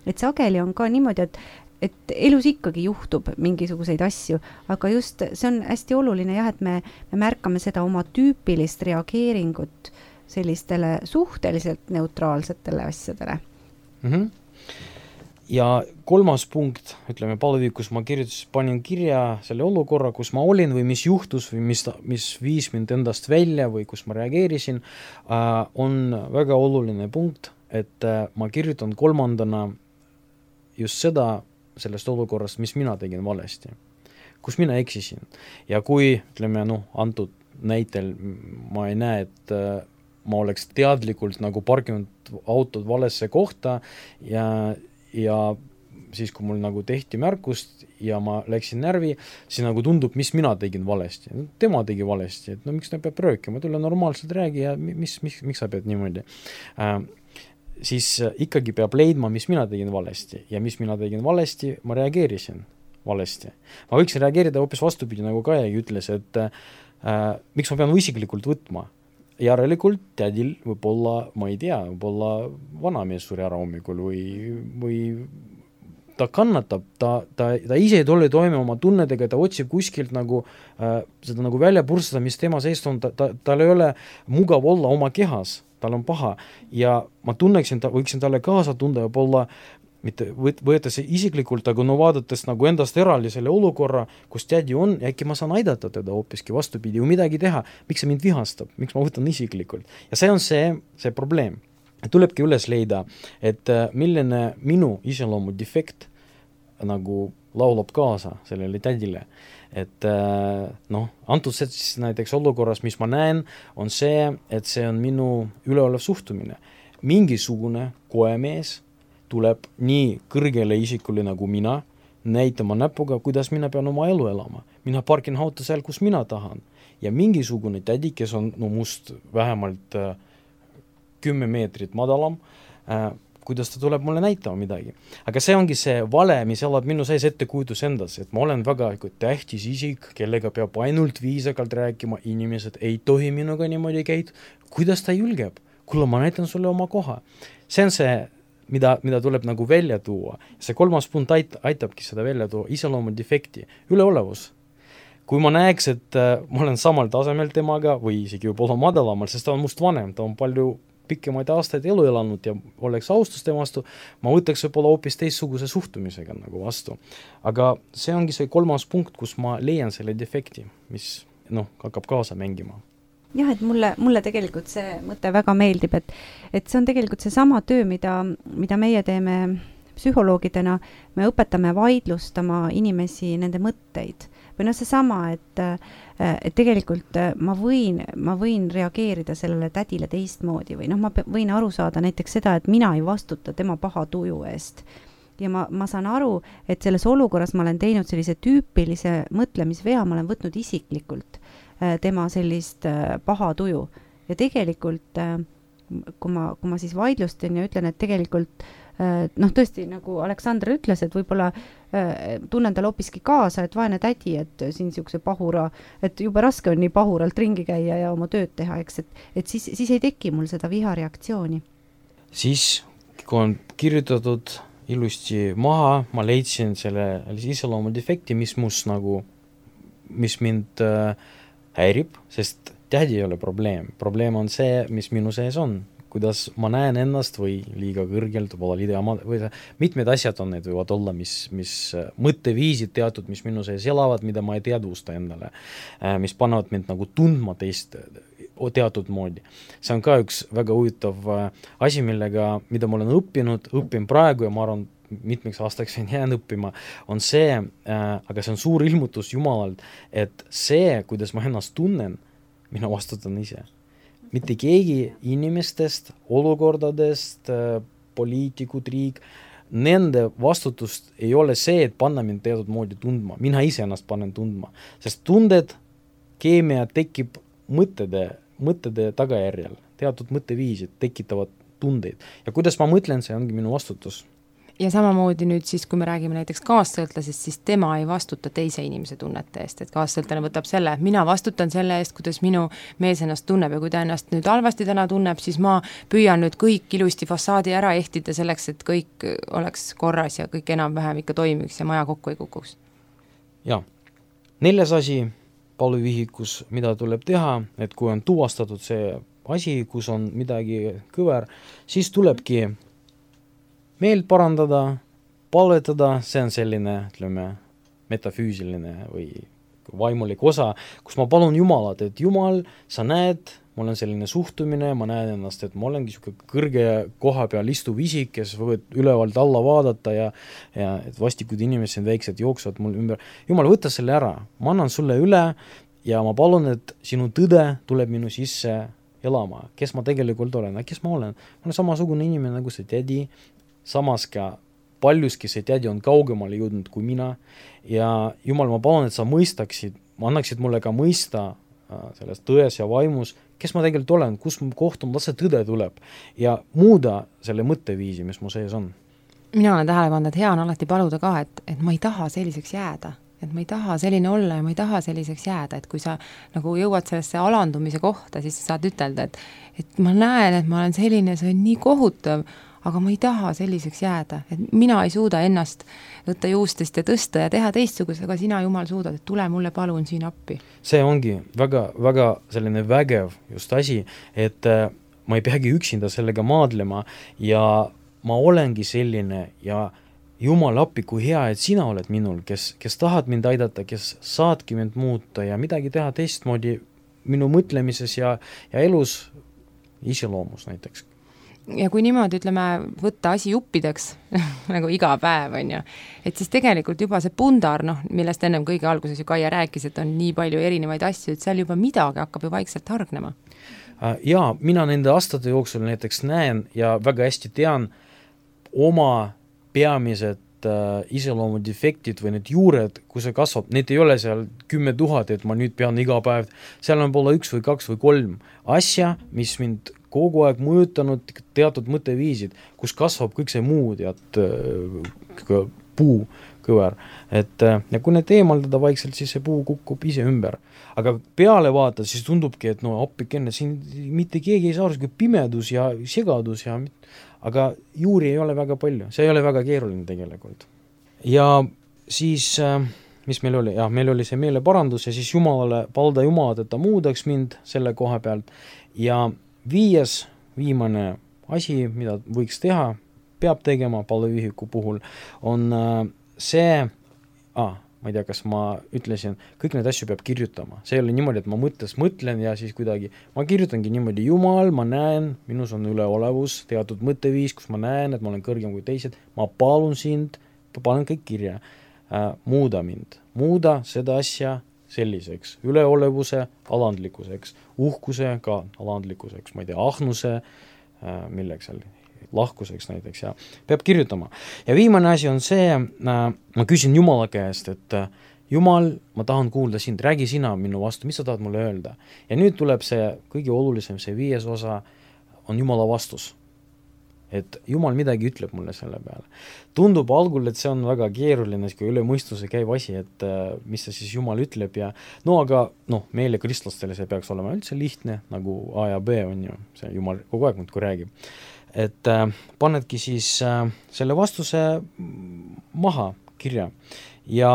Et sageli on ka niimoodi, et, et elus ikkagi juhtub mingisuguseid asju, aga just see on hästi oluline jah, et me, me märkame seda oma tüüpilist reageeringut sellistele suhteliselt neutraalsetele asjadele. Mhm. Ja kolmas punkt, ütleme palvevihikus ma kirjutas, panin kirja selle olukorra, kus ma olin või mis juhtus või mis, mis viis mind endast välja või kus ma reageerisin, on väga oluline punkt, et ma kirjutan kolmandana just seda sellest olukorrast, mis mina tegin valesti, kus mina eksisin. Ja kui, ütleme, noh, antud näitel ma ei näe, et ma oleks teadlikult nagu parkinud autod valesse kohta ja ja siis, kui mul nagu tehti märkust ja ma läksin närvi, siis nagu tundub, mis mina tegin valesti. Tema tegi valesti, et no miks ta peab röökima, tule normaalselt räägi ja mis, mis, miks sa pead niimoodi. Äh, siis ikkagi peab leidma, mis mina tegin valesti ja mis mina tegin valesti, ma reageerisin valesti. Ma võiksin reageerida hoopis vastupidi, nagu Kaia ütles, et äh, miks ma pean isiklikult võtma. järelikult tädil võib olla, ma ei tea, võib olla vanamees suri ära hommikul või, või ta kannatab, ta, ta, ta ise ei tule toime oma tunnedega, ta otsib kuskilt nagu äh, seda nagu välja purstada, mis tema seest on, ta, ta, tal ei ole mugav olla oma kehas, tal on paha ja ma tunneksin, ta, võiksin talle kaasa tunda ja võib-olla mitte võetes isiklikult, aga no vaadates nagu endast eraldi selle olukorra, kus tädi on, ja äkki ma saan aidata teda hoopiski vastupidi või midagi teha, miks see mind vihastab, miks ma võtan isiklikult. Ja see on see, see probleem. Tulebki üles leida, et milline minu iseloomu defekt nagu laulab kaasa sellele tädile. Et noh, antud siis näiteks olukorras, mis ma näen, on see, et see on minu üleolev suhtumine. Mingisugune koemees tuleb nii kõrgele isikule nagu mina, näitama näpuga, kuidas mina pean oma elu elama. Mina parkin auto seal, kus mina tahan. Ja mingisugune tädi, kes on no, must vähemalt äh, kümme meetrit madalam, äh, kuidas ta tuleb mulle näitama midagi. Aga see ongi see vale, mis elab minu sees ettekujutus endas, et ma olen väga tähtis isik, kellega peab ainult viisakalt rääkima, inimesed ei tohi minuga niimoodi käid. Kuidas ta julgeb? Kuule, ma näitan sulle oma koha. See on see Mida, mida tuleb nagu välja tuua. See kolmas punkt ait, aitabki seda välja tuua, iseloomu defekti, üleolevus. Kui ma näeks, et äh, ma olen samal tasemel temaga või isegi võib olla madalamal, sest ta on must vanem, ta on palju pikemaid aastaid elu elanud ja oleks austus tema vastu, ma võtaks võib-olla hoopis teistsuguse suhtumisega nagu vastu. Aga see ongi see kolmas punkt, kus ma leian selle defekti, mis noh, hakkab kaasa mängima. Jah, et mulle, mulle tegelikult see mõte väga meeldib, et, et see on tegelikult see sama töö, mida, mida meie teeme psühholoogidena, me õpetame vaidlustama inimesi nende mõtteid. Või noh, see sama, et, et tegelikult ma võin, ma võin reageerida sellele tädile teistmoodi või noh, ma võin aru saada näiteks seda, et mina ei vastuta tema paha tuju eest. Ja ma, ma saan aru, et selles olukorras ma olen teinud sellise tüüpilise mõtlemisvea, ma olen võtnud isiklikult tema sellist paha tuju. Ja tegelikult, kui ma, kui ma siis vaidlustan ja ütlen, et tegelikult, noh tõesti, nagu Aleksandr ütles, et võib-olla tunnen tal hoopiski kaasa, et vaene tädi, et siin siukse pahura, et jube raske on nii pahuralt ringi käia ja oma tööd teha, eks, et, et siis, siis ei teki mul seda vihareaktsiooni. Siis, kui on kirjutatud ilusti maha, ma leidsin selle iseloomu defekti, mis mus nagu, mis mind äh, häirib, sest tädi ei ole probleem. Probleem on see, mis minu sees on. Kuidas ma näen ennast või liiga kõrgelt, või mitmed asjad on, need võivad olla, mis, mis mõtteviisid teatud, mis minu sees elavad, mida ma ei teadvusta endale, mis panevad mind nagu tundma teist teatud moodi. See on ka üks väga huvitav asi, millega, mida ma olen õppinud, õppin praegu ja ma arvan, mitmeks aastaks on jään õppima, on see, äh, aga see on suur ilmutus Jumalalt, et see, kuidas ma ennast tunnen, mina vastutan ise. Mitte keegi inimestest, olukordadest, äh, poliitikud, riik, nende vastutust ei ole see, et panna mind teatud moodi tundma. Mina ise ennast panen tundma, sest tunded, keemia tekib mõttede, mõttede tagajärjel, teatud mõtteviisid tekitavad tundeid. Ja kuidas ma mõtlen, see ongi minu vastutus. Ja samamoodi nüüd siis, kui me räägime näiteks kaassõltlasest, siis tema ei vastuta teise inimese tunnete eest, et kaassõltlane võtab selle, mina vastutan selle eest, kuidas minu mees ennast tunneb ja kui ta ennast nüüd halvasti täna tunneb, siis ma püüan nüüd kõik ilusti fassaadi ära ehtida selleks, et kõik oleks korras ja kõik enam-vähem ikka toimiks ja maja kokku ei kukuks. Ja, neljas asi paluvihikus, mida tuleb teha, et kui on tuvastatud see asi, kus on midagi kõver, siis tulebki meelt parandada, palvetada, see on selline, ütleme, metafüüsiline või vaimulik osa, kus ma palun Jumalat, et Jumal, sa näed, mul on selline suhtumine, ma näen ennast, et ma olengi siuke kõrge koha peal istuv isik, kes võivad ülevalt alla vaadata ja, ja et vastikud inimesed väiksed jooksuvad mul ümber. Jumal, võta selle ära, ma annan sulle üle ja ma palun, et sinu tõde tuleb minu sisse elama, kes ma tegelikult olen, kes ma olen. Ma olen samasugune inimene nagu see tädi, samas ka paljuski see tädi on kaugemale jõudnud kui mina ja Jumal, ma palun, et sa mõistaksid, ma annaksid mulle ka mõista äh, selles tões ja vaimus, kes ma tegelikult olen, kus ma kohtun, las see tõde tuleb ja muuda selle mõtteviisi, mis mu sees on. Mina olen tähele pannud, et hea on alati paluda ka, et, et ma ei taha selliseks jääda. et ma ei taha selline olla ja ma ei taha selliseks jääda, et kui sa nagu jõuad sellesse alandumise kohta, siis sa saad ütelda, et, et ma näen, et ma olen selline, see on nii kohutav, aga ma ei taha selliseks jääda, et mina ei suuda ennast võtta juustest ja tõsta ja teha teistsugust, aga sina, Jumal, suudad, et tule mulle palun siin appi. See ongi väga, väga selline vägev just asi, et äh, ma ei peagi üksinda sellega maadlema ja ma olengi selline ja Jumal appi, kui hea, et sina oled minul, kes, kes tahad mind aidata, kes saadki mind muuta ja midagi teha teistmoodi minu mõtlemises ja, ja elus iseloomus näiteks. Ja kui niimoodi, ütleme, võtta asi juppideks, nagu iga päev, on ju, et siis tegelikult juba see pundar, noh, millest ennem kõige alguses ju Kaia rääkis, et on nii palju erinevaid asju, et seal juba midagi hakkab ju vaikselt hargnema. Jaa, mina nende aastate jooksul näiteks näen ja väga hästi tean oma peamised äh, iseloomudefektid või need juured, kus see kasvab, need ei ole seal kümme tuhat, et ma nüüd pean iga päev, seal on poole üks või kaks või kolm asja, mis mind kogu aeg mõjutanud teatud mõtteviisid, kus kasvab kõik see muu tead äh, puu kõver, et äh, ja kui need eemaldada vaikselt, siis see puu kukub ise ümber. Aga peale vaata, siis tundubki, et no appikenne, siin mitte keegi ei saa aru, pimedus ja segadus ja aga juuri ei ole väga palju, see ei ole väga keeruline tegelikult. Ja siis, mis meil oli, jah, meil oli see meeleparandus ja siis Jumalale, palda Jumalat, et ta muudaks mind selle koha pealt ja viies, viimane asi, mida võiks teha, peab tegema palveühiku puhul, on see, ah, ma ei tea, kas ma ütlesin, kõik need asju peab kirjutama. See ei ole niimoodi, et ma mõttes mõtlen ja siis kuidagi, ma kirjutangi niimoodi, Jumal, ma näen, minus on üleolevus, teatud mõtteviis, kus ma näen, et ma olen kõrgem kui teised, ma palun sind, panen kõik kirja, äh, muuda mind, muuda seda asja selliseks, üleolevuse alandlikkuseks, uhkuse ka alandlikkuseks, ma ei tea, ahnuse, äh, milleks seal lahkuseks näiteks ja peab kirjutama. Ja viimane asi on see, äh, ma küsin Jumala käest, et äh, Jumal, ma tahan kuulda sind, räägi sina minu vastu, mis sa tahad mulle öelda. Ja nüüd tuleb see kõige olulisem, see viies osa on Jumala vastus. Et Jumal midagi ütleb mulle selle peale. Tundub algul, et see on väga keeruline, kui üle mõistuse käib asi, et äh, mis see siis Jumal ütleb ja no aga noh, meile kristlastele see peaks olema üldse lihtne, nagu A ja B on ju, see Jumal kogu aeg muudkui räägib. Et äh, panedki siis äh, selle vastuse maha kirja ja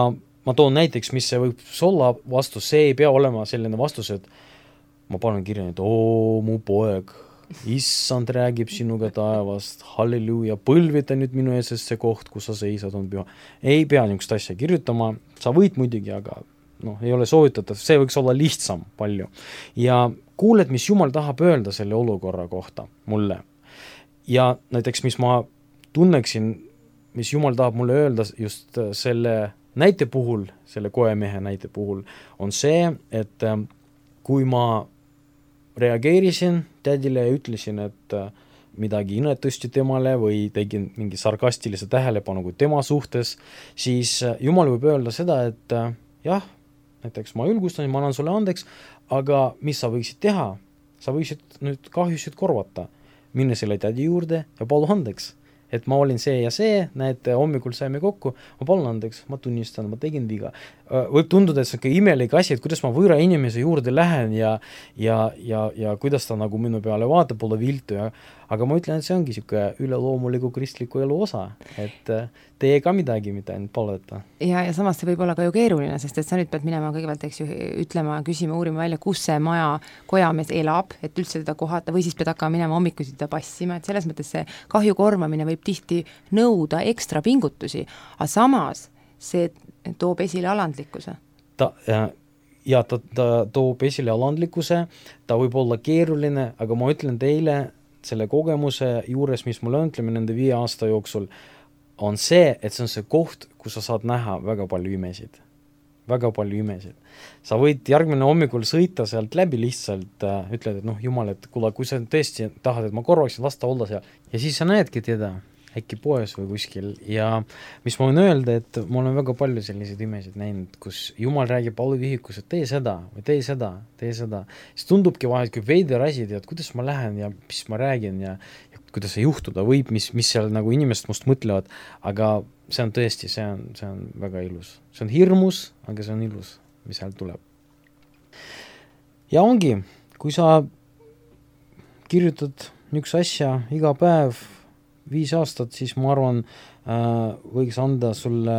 ma toon näiteks, mis see võib olla vastus, see ei pea olema selline vastus, et ma panen kirja, et oo, mu poeg, issand räägib sinuga taevast, halleluuja, põlvita nüüd minu ees, sest see koht, kus sa seisad, on püha. Ei pea niisugust asja kirjutama, sa võid muidugi, aga noh, ei ole soovitatav, see võiks olla lihtsam palju. Ja kuuled, mis Jumal tahab öelda selle olukorra kohta mulle. Ja näiteks, mis ma tunneksin, mis Jumal tahab mulle öelda just selle näite puhul, selle koemehe näite puhul, on see, et kui ma reageerisin tädile ja ütlesin, et midagi inetusti temale või tegin mingi sarkastilise tähelepanu kui tema suhtes, siis Jumal võib öelda seda, et jah, näiteks ma julgustan, ma annan sulle andeks, aga mis sa võiksid teha? Sa võiksid nüüd kahjusid korvata. Minne selle tädi juurde ja palu andeks, et ma olin see ja see, näete, hommikul saime kokku, ma palun andeks, ma tunnistan, ma tegin viga. Võib tunduda, et see on imelik asi, et kuidas ma võõra inimese juurde lähen ja, ja, ja, ja kuidas ta nagu minu peale vaatab, pole viltu, ja, aga ma ütlen, et see ongi siuke üleloomuliku kristliku elu osa, et tee ka midagi, mida ainult palveta. Ja, ja samas see võib olla ka ju keeruline, sest et sa nüüd pead minema kõigepealt, eks ju, ütlema, küsima, uurima välja, kus see maja kojamees elab, et üldse teda kohata, või siis pead hakkama minema hommikusi teda passima, et selles mõttes see kahju korvamine võib tihti nõuda ekstra pingutusi, aga samas see toob esile alandlikkuse. Ta, ja, ja ta, ta toob esile alandlikkuse, ta võib olla keeruline, aga ma ütlen teile, selle kogemuse juures, mis mul on, ütleme nende viie aasta jooksul, on see, et see on see koht, kus sa saad näha väga palju imesid. Väga palju imesid. Sa võid järgmine hommikul sõita sealt läbi lihtsalt, äh, ütled, et noh, Jumal, et kuule, kui sa tõesti tahad, et ma korvaksin lasta olla seal. Ja siis sa näedki teda, äkki poes või kuskil. Ja mis ma võin öelda, et ma olen väga palju selliseid imesid näinud, kus Jumal räägib palvevihikus, et tee seda või tee seda, tee seda. Siis tundubki vahel, kui veider asi, tead, kuidas ma lähen ja mis ma räägin ja, ja kuidas see juhtuda võib, mis, mis seal nagu inimesed must mõtlevad, aga see on tõesti, see on, see on väga ilus. See on hirmus, aga see on ilus, mis sealt tuleb. Ja ongi, kui sa kirjutad niisuguse asja iga päev viis aastat, siis ma arvan, äh, võiks anda sulle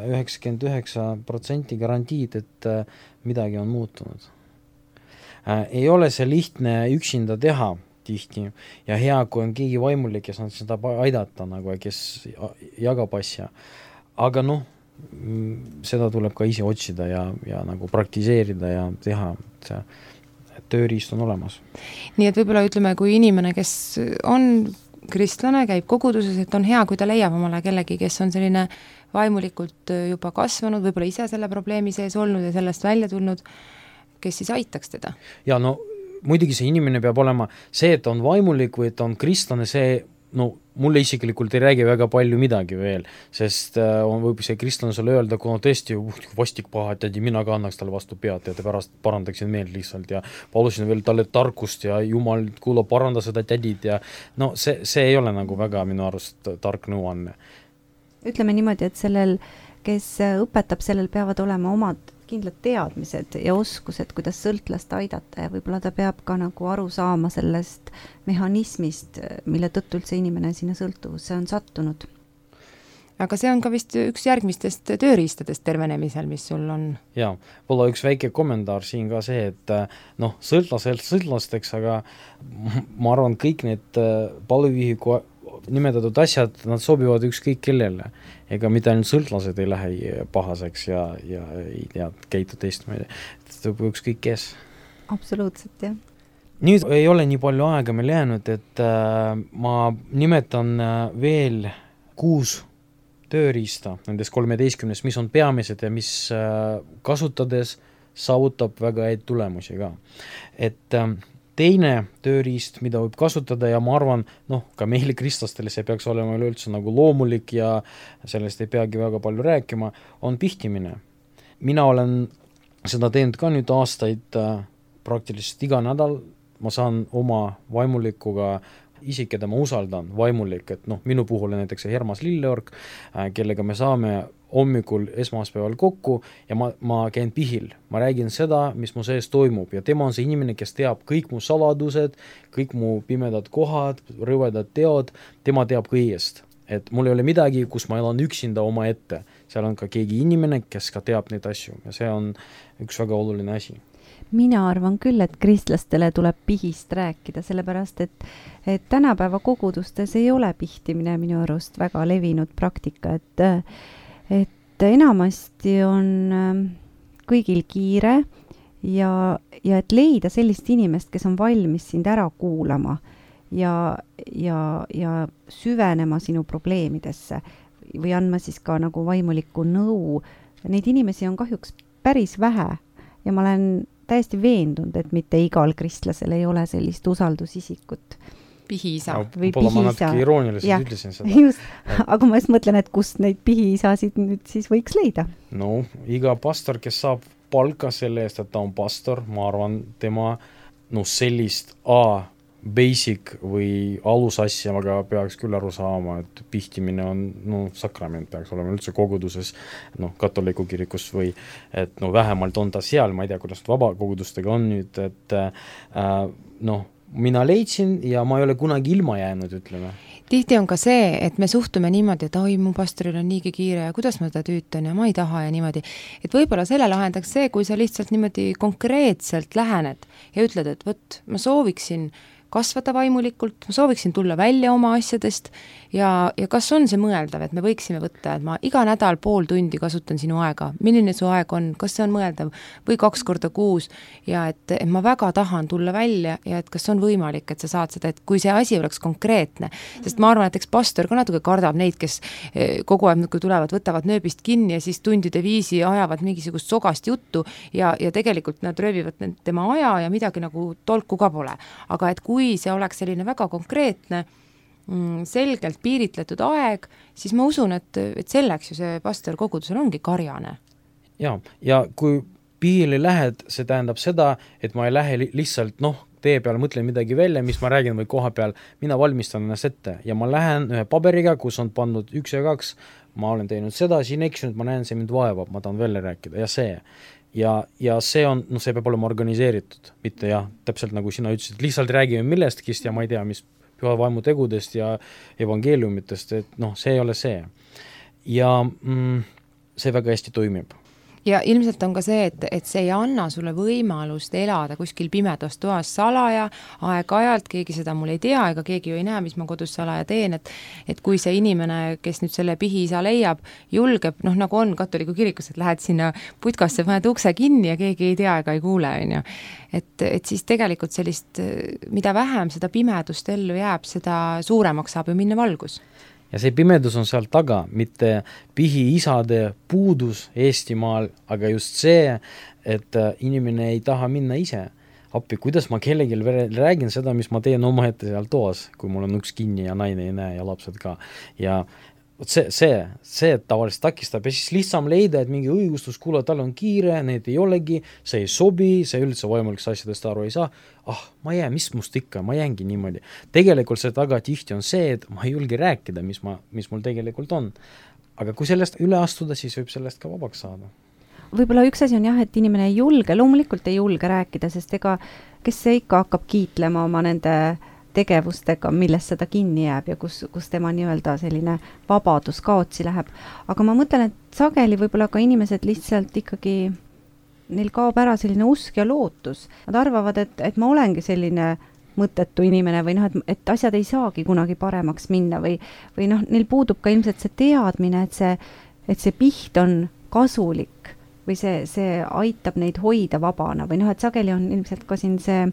üheksakümmend üheksa protsenti garantiid, et äh, midagi on muutunud. Äh, ei ole see lihtne üksinda teha tihti ja hea, kui on keegi vaimulik, kes on seda aidata, nagu, kes jagab asja. Aga noh, seda tuleb ka ise otsida ja, ja nagu praktiseerida ja teha, et see tööriist on olemas. Nii et võib-olla ütleme, kui inimene, kes on kristlane, käib koguduses, et on hea, kui ta leiab omale kellegi, kes on selline vaimulikult juba kasvanud, võib-olla ise selle probleemi sees olnud ja sellest välja tulnud, kes siis aitaks teda? Ja no muidugi see inimene peab olema see, et on vaimulik või et on kristlane, see no mulle isiklikult ei räägi väga palju midagi veel, sest äh, on võib see kristlane sulle öelda, kui on tõesti vastik paha, et mina ka annaks talle vastu pead ja te pärast parandaksin meelt lihtsalt ja palusin veel talle tarkust ja jumal kuula paranda seda tädid ja no see, see ei ole nagu väga minu arust tark nõuanne. Ütleme niimoodi, et sellel, kes õpetab, sellel peavad olema omad kindlad teadmised ja oskused, kuidas sõltlast aidata ja võib-olla ta peab ka nagu aru saama sellest mehhanismist, mille tõttu üldse inimene sinna sõltuvusse on sattunud. Aga see on ka vist üks järgmistest tööriistadest tervenemisel, mis sul on. Jaa, võib-olla üks väike kommentaar siin ka see, et noh, sõltlasel sõltlasteks, aga ma arvan, kõik need palvevihiku nimetatud asjad, nad sobivad ükskõik kellele. Ega mitte ainult sõltlased ei lähe pahaseks ja, ja ei tea, käitu teistmoodi. Ükskõik kes. Absoluutselt, jah. Nüüd ei ole nii palju aega meil jäänud, et äh, ma nimetan äh, veel kuus tööriista nendest kolmeteistkümnest, mis on peamised ja mis äh, kasutades saavutab väga häid tulemusi ka. Et äh, teine tööriist, mida võib kasutada ja ma arvan, noh, ka meile kristlastele see peaks olema üleüldse nagu loomulik ja sellest ei peagi väga palju rääkima, on pihtimine. Mina olen seda teinud ka nüüd aastaid äh, praktiliselt iga nädal, ma saan oma vaimulikuga isik, keda ma usaldan, vaimulik, et noh, minu puhul on näiteks Hermas Lilleorg, äh, kellega me saame hommikul esmaspäeval kokku ja ma, ma käin pihil, ma räägin seda, mis mu sees toimub ja tema on see inimene, kes teab kõik mu saladused, kõik mu pimedad kohad, rõvedad teod, tema teab kõigest. Et mul ei ole midagi, kus ma elan üksinda oma ette, seal on ka keegi inimene, kes ka teab neid asju ja see on üks väga oluline asi. Mina arvan küll, et kristlastele tuleb pihist rääkida, sellepärast, et, et tänapäeva kogudustes ei ole pihtimine minu arust väga levinud praktika, et et enamasti on kõigil kiire ja, ja et leida sellist inimest, kes on valmis sind ära kuulama ja, ja, ja süvenema sinu probleemidesse või andma siis ka nagu vaimulikku nõu. Neid inimesi on kahjuks päris vähe ja ma olen täiesti veendunud, et mitte igal kristlasel ei ole sellist usaldusisikut. Pihiisa. Või Pola ma pihiisa. natuke irooniliselt ja, ütlesin seda. Just, aga ma just mõtlen, et kust neid pihiisasid nüüd siis võiks leida? No, iga pastor, kes saab palka selle eest, et ta on pastor, ma arvan, tema no, sellist A, basic või alusasja aga peaks küll aru saama, et pihtimine on no, sakrament peaks olema üldse koguduses, no, katoliku kirikus või et no, vähemalt on ta seal, ma ei tea, kuidas vabakogudustega on nüüd, et äh, noh, mina leidsin ja ma ei ole kunagi ilma jäänud, ütleme. Tihti on ka see, et me suhtume niimoodi, et oi, mu pastoril on niigi kiire ja kuidas ma teda tüütan ja ma ei taha ja niimoodi. Et võib-olla selle lahendaks see, kui sa lihtsalt niimoodi konkreetselt lähened ja ütled, et võt, ma sooviksin kasvada vaimulikult, ma sooviksin tulla välja oma asjadest ja, ja kas on see mõeldav, et me võiksime võtta, et ma iga nädal pool tundi kasutan sinu aega, milline su aeg on, kas see on mõeldav või kaks korda kuus ja et, et ma väga tahan tulla välja ja et kas on võimalik, et sa saad seda, et kui see asi oleks konkreetne, sest ma arvan, et eks pastor ka natuke kardab neid, kes kogu aeg, kui tulevad, võtavad nööbist kinni ja siis tundide viisi ajavad mingisugust sogast juttu ja, ja tegelikult nad röövivad tema aja ja midagi nagu tolku ka pole, aga et kui kui see oleks selline väga konkreetne, selgelt piiritletud aeg, siis ma usun, et, et selleks ju see pastor kogudusel ongi karjane. Ja, ja kui pihile lähed, see tähendab seda, et ma ei lähe lihtsalt noh, tee peal mõtlen midagi välja, mis ma räägin või koha peal, mina valmistan ennast ette ja ma lähen ühe paberiga, kus on pandud üks ja kaks, ma olen teinud seda, siin eksinud, ma näen, see mind vaevab, ma tahan välja rääkida ja see. Ja, ja see on, noh, see peab olema organiseeritud, mitte jah, täpselt nagu sina ütlesid, lihtsalt räägime millestkist ja ma ei tea, mis püha vaimu tegudest ja evangeeliumitest, et noh, see ei ole see. Ja mm, see väga hästi toimib. Ja ilmselt on ka see, et, et see ei anna sulle võimalust elada kuskil pimedas toas salaja, aeg-ajalt, keegi seda mul ei tea, ega keegi ju ei näe, mis ma kodus salaja teen, et et kui see inimene, kes nüüd selle pihiisa leiab, julgeb, noh nagu on katoliku kirikus, et lähed sinna putkasse, paned ukse kinni ja keegi ei tea ega ei kuule, on ju. Et, et siis tegelikult sellist, mida vähem seda pimedust ellu jääb, seda suuremaks saab ju minna valgus. Ja see pimedus on seal taga, mitte pihiisade puudus Eestimaal, aga just see, et inimene ei taha minna ise appi, kuidas ma kellelgi räägin seda, mis ma teen oma ette seal toas, kui mul on uks kinni ja naine ei näe ja lapsed ka. Ja see, see, see tavaliselt takistab ja siis lihtsam leida, et mingi õigustus, kuule, tal on kiire, need ei olegi, see ei sobi, see üldse võimalik asjadest aru ei saa, ah, ma jään, mis must ikka, ma jäängi niimoodi. Tegelikult see taga tihti on see, et ma ei julge rääkida, mis, ma, mis mul tegelikult on. Aga kui sellest üle astuda, siis võib sellest ka vabaks saada. Võib-olla üks asi on jah, et inimene ei julge, loomulikult ei julge rääkida, sest ega kes see ikka hakkab kiitlema oma nende tegevustega, millest seda kinni jääb ja kus, kus tema nii-öelda selline vabadus kaotsi läheb. Aga ma mõtlen, et sageli võib-olla ka inimesed lihtsalt ikkagi, neil kaob ära selline usk ja lootus. Nad arvavad, et, et ma olengi selline mõttetu inimene või noh, et, et asjad ei saagi kunagi paremaks minna või, või noh, neil puudub ka ilmselt see teadmine, et see, et see piht on kasulik või see, see aitab neid hoida vabana või noh, et sageli on ilmselt ka siin see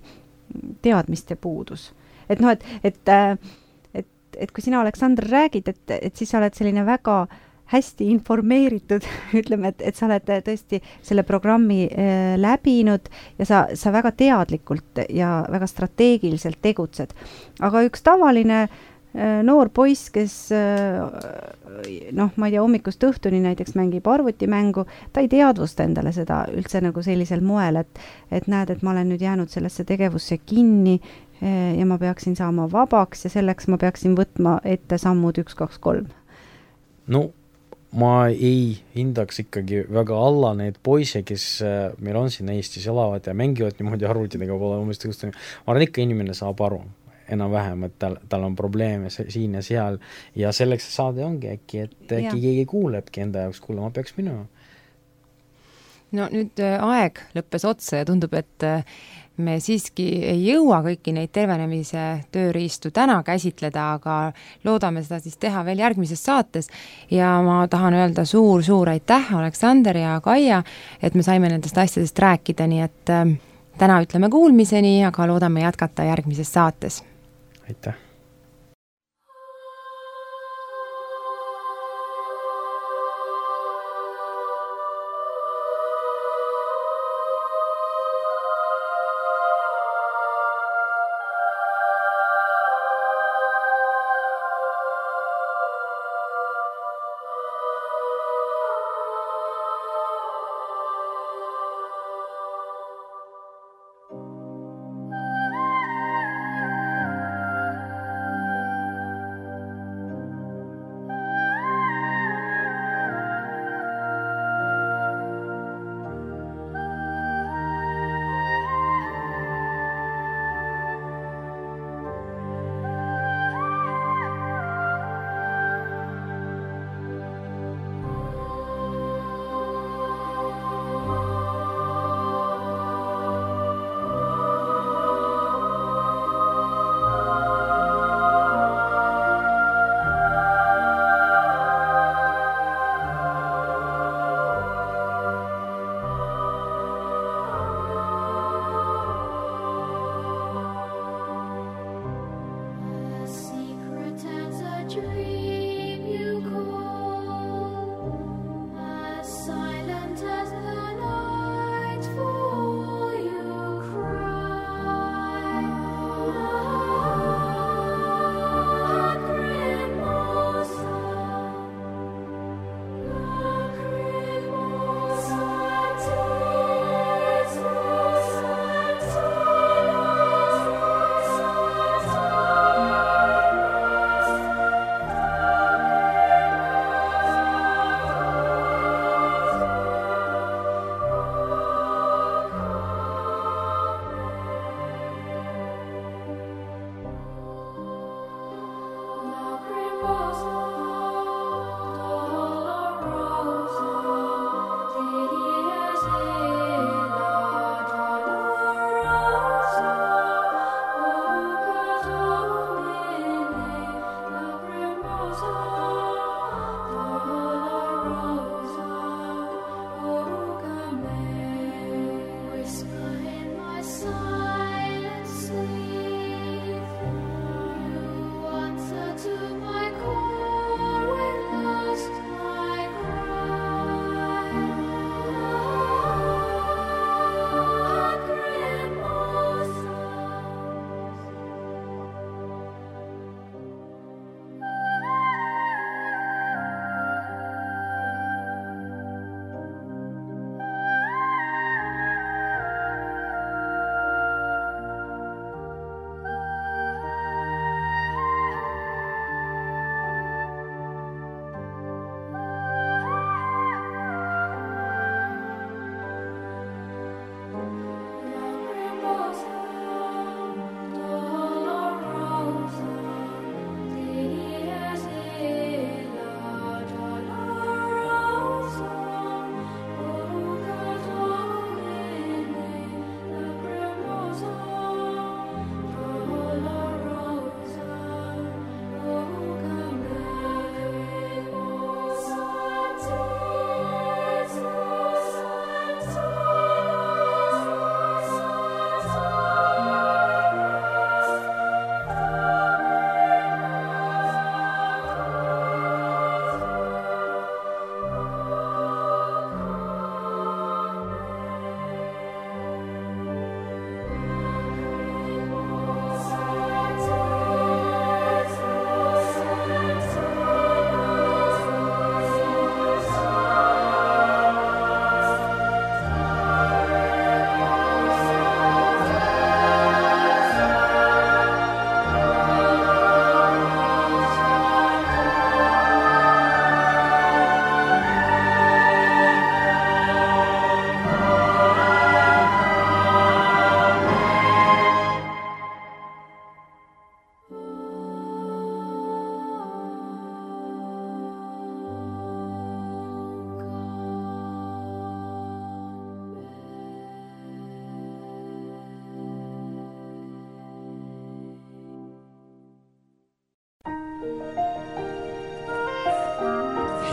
teadmiste puudus. Et noh, et, et, et, et kui sina, Aleksandr, räägid, et, et siis sa oled selline väga hästi informeeritud, ütleme, et, et sa oled tõesti selle programmi äh, läbinud ja sa, sa väga teadlikult ja väga strateegiliselt tegutsed. Aga üks tavaline äh, noor poiss, kes äh, noh, ma ei tea, hommikust õhtuni näiteks mängib arvutimängu, ta ei teadvusta endale seda üldse nagu sellisel moel, et, et näed, et ma olen nüüd jäänud sellesse tegevusse kinni ja ma peaksin saama vabaks ja selleks ma peaksin võtma ette sammud üks, kaks, kolm. No ma ei hindaks ikkagi väga alla neid poisse, kes meil on siin Eestis elavad ja mängivad niimoodi arvutidega pole umbes tõustanud. Ma arvan, ikka inimene saab aru enam-vähem, et tal, tal on probleeme siin ja seal ja selleks saade ongi äkki, et äkki keegi kuulebki enda jaoks, kuule, ma peaks minema. No nüüd aeg lõppes otsa ja tundub, et me siiski ei jõua kõiki neid tervenemise tööriistu täna käsitleda, aga loodame seda siis teha veel järgmises saates ja ma tahan öelda suur-suur aitäh, Aleksander ja Kaia, et me saime nendest asjadest rääkida, nii et äh, täna ütleme kuulmiseni, aga loodame jätkata järgmises saates. Aitäh!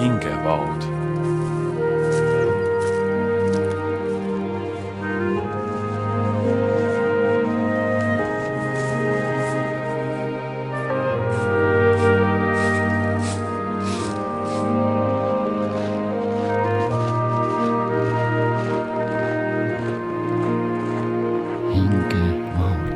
hingevaod. hingevaod.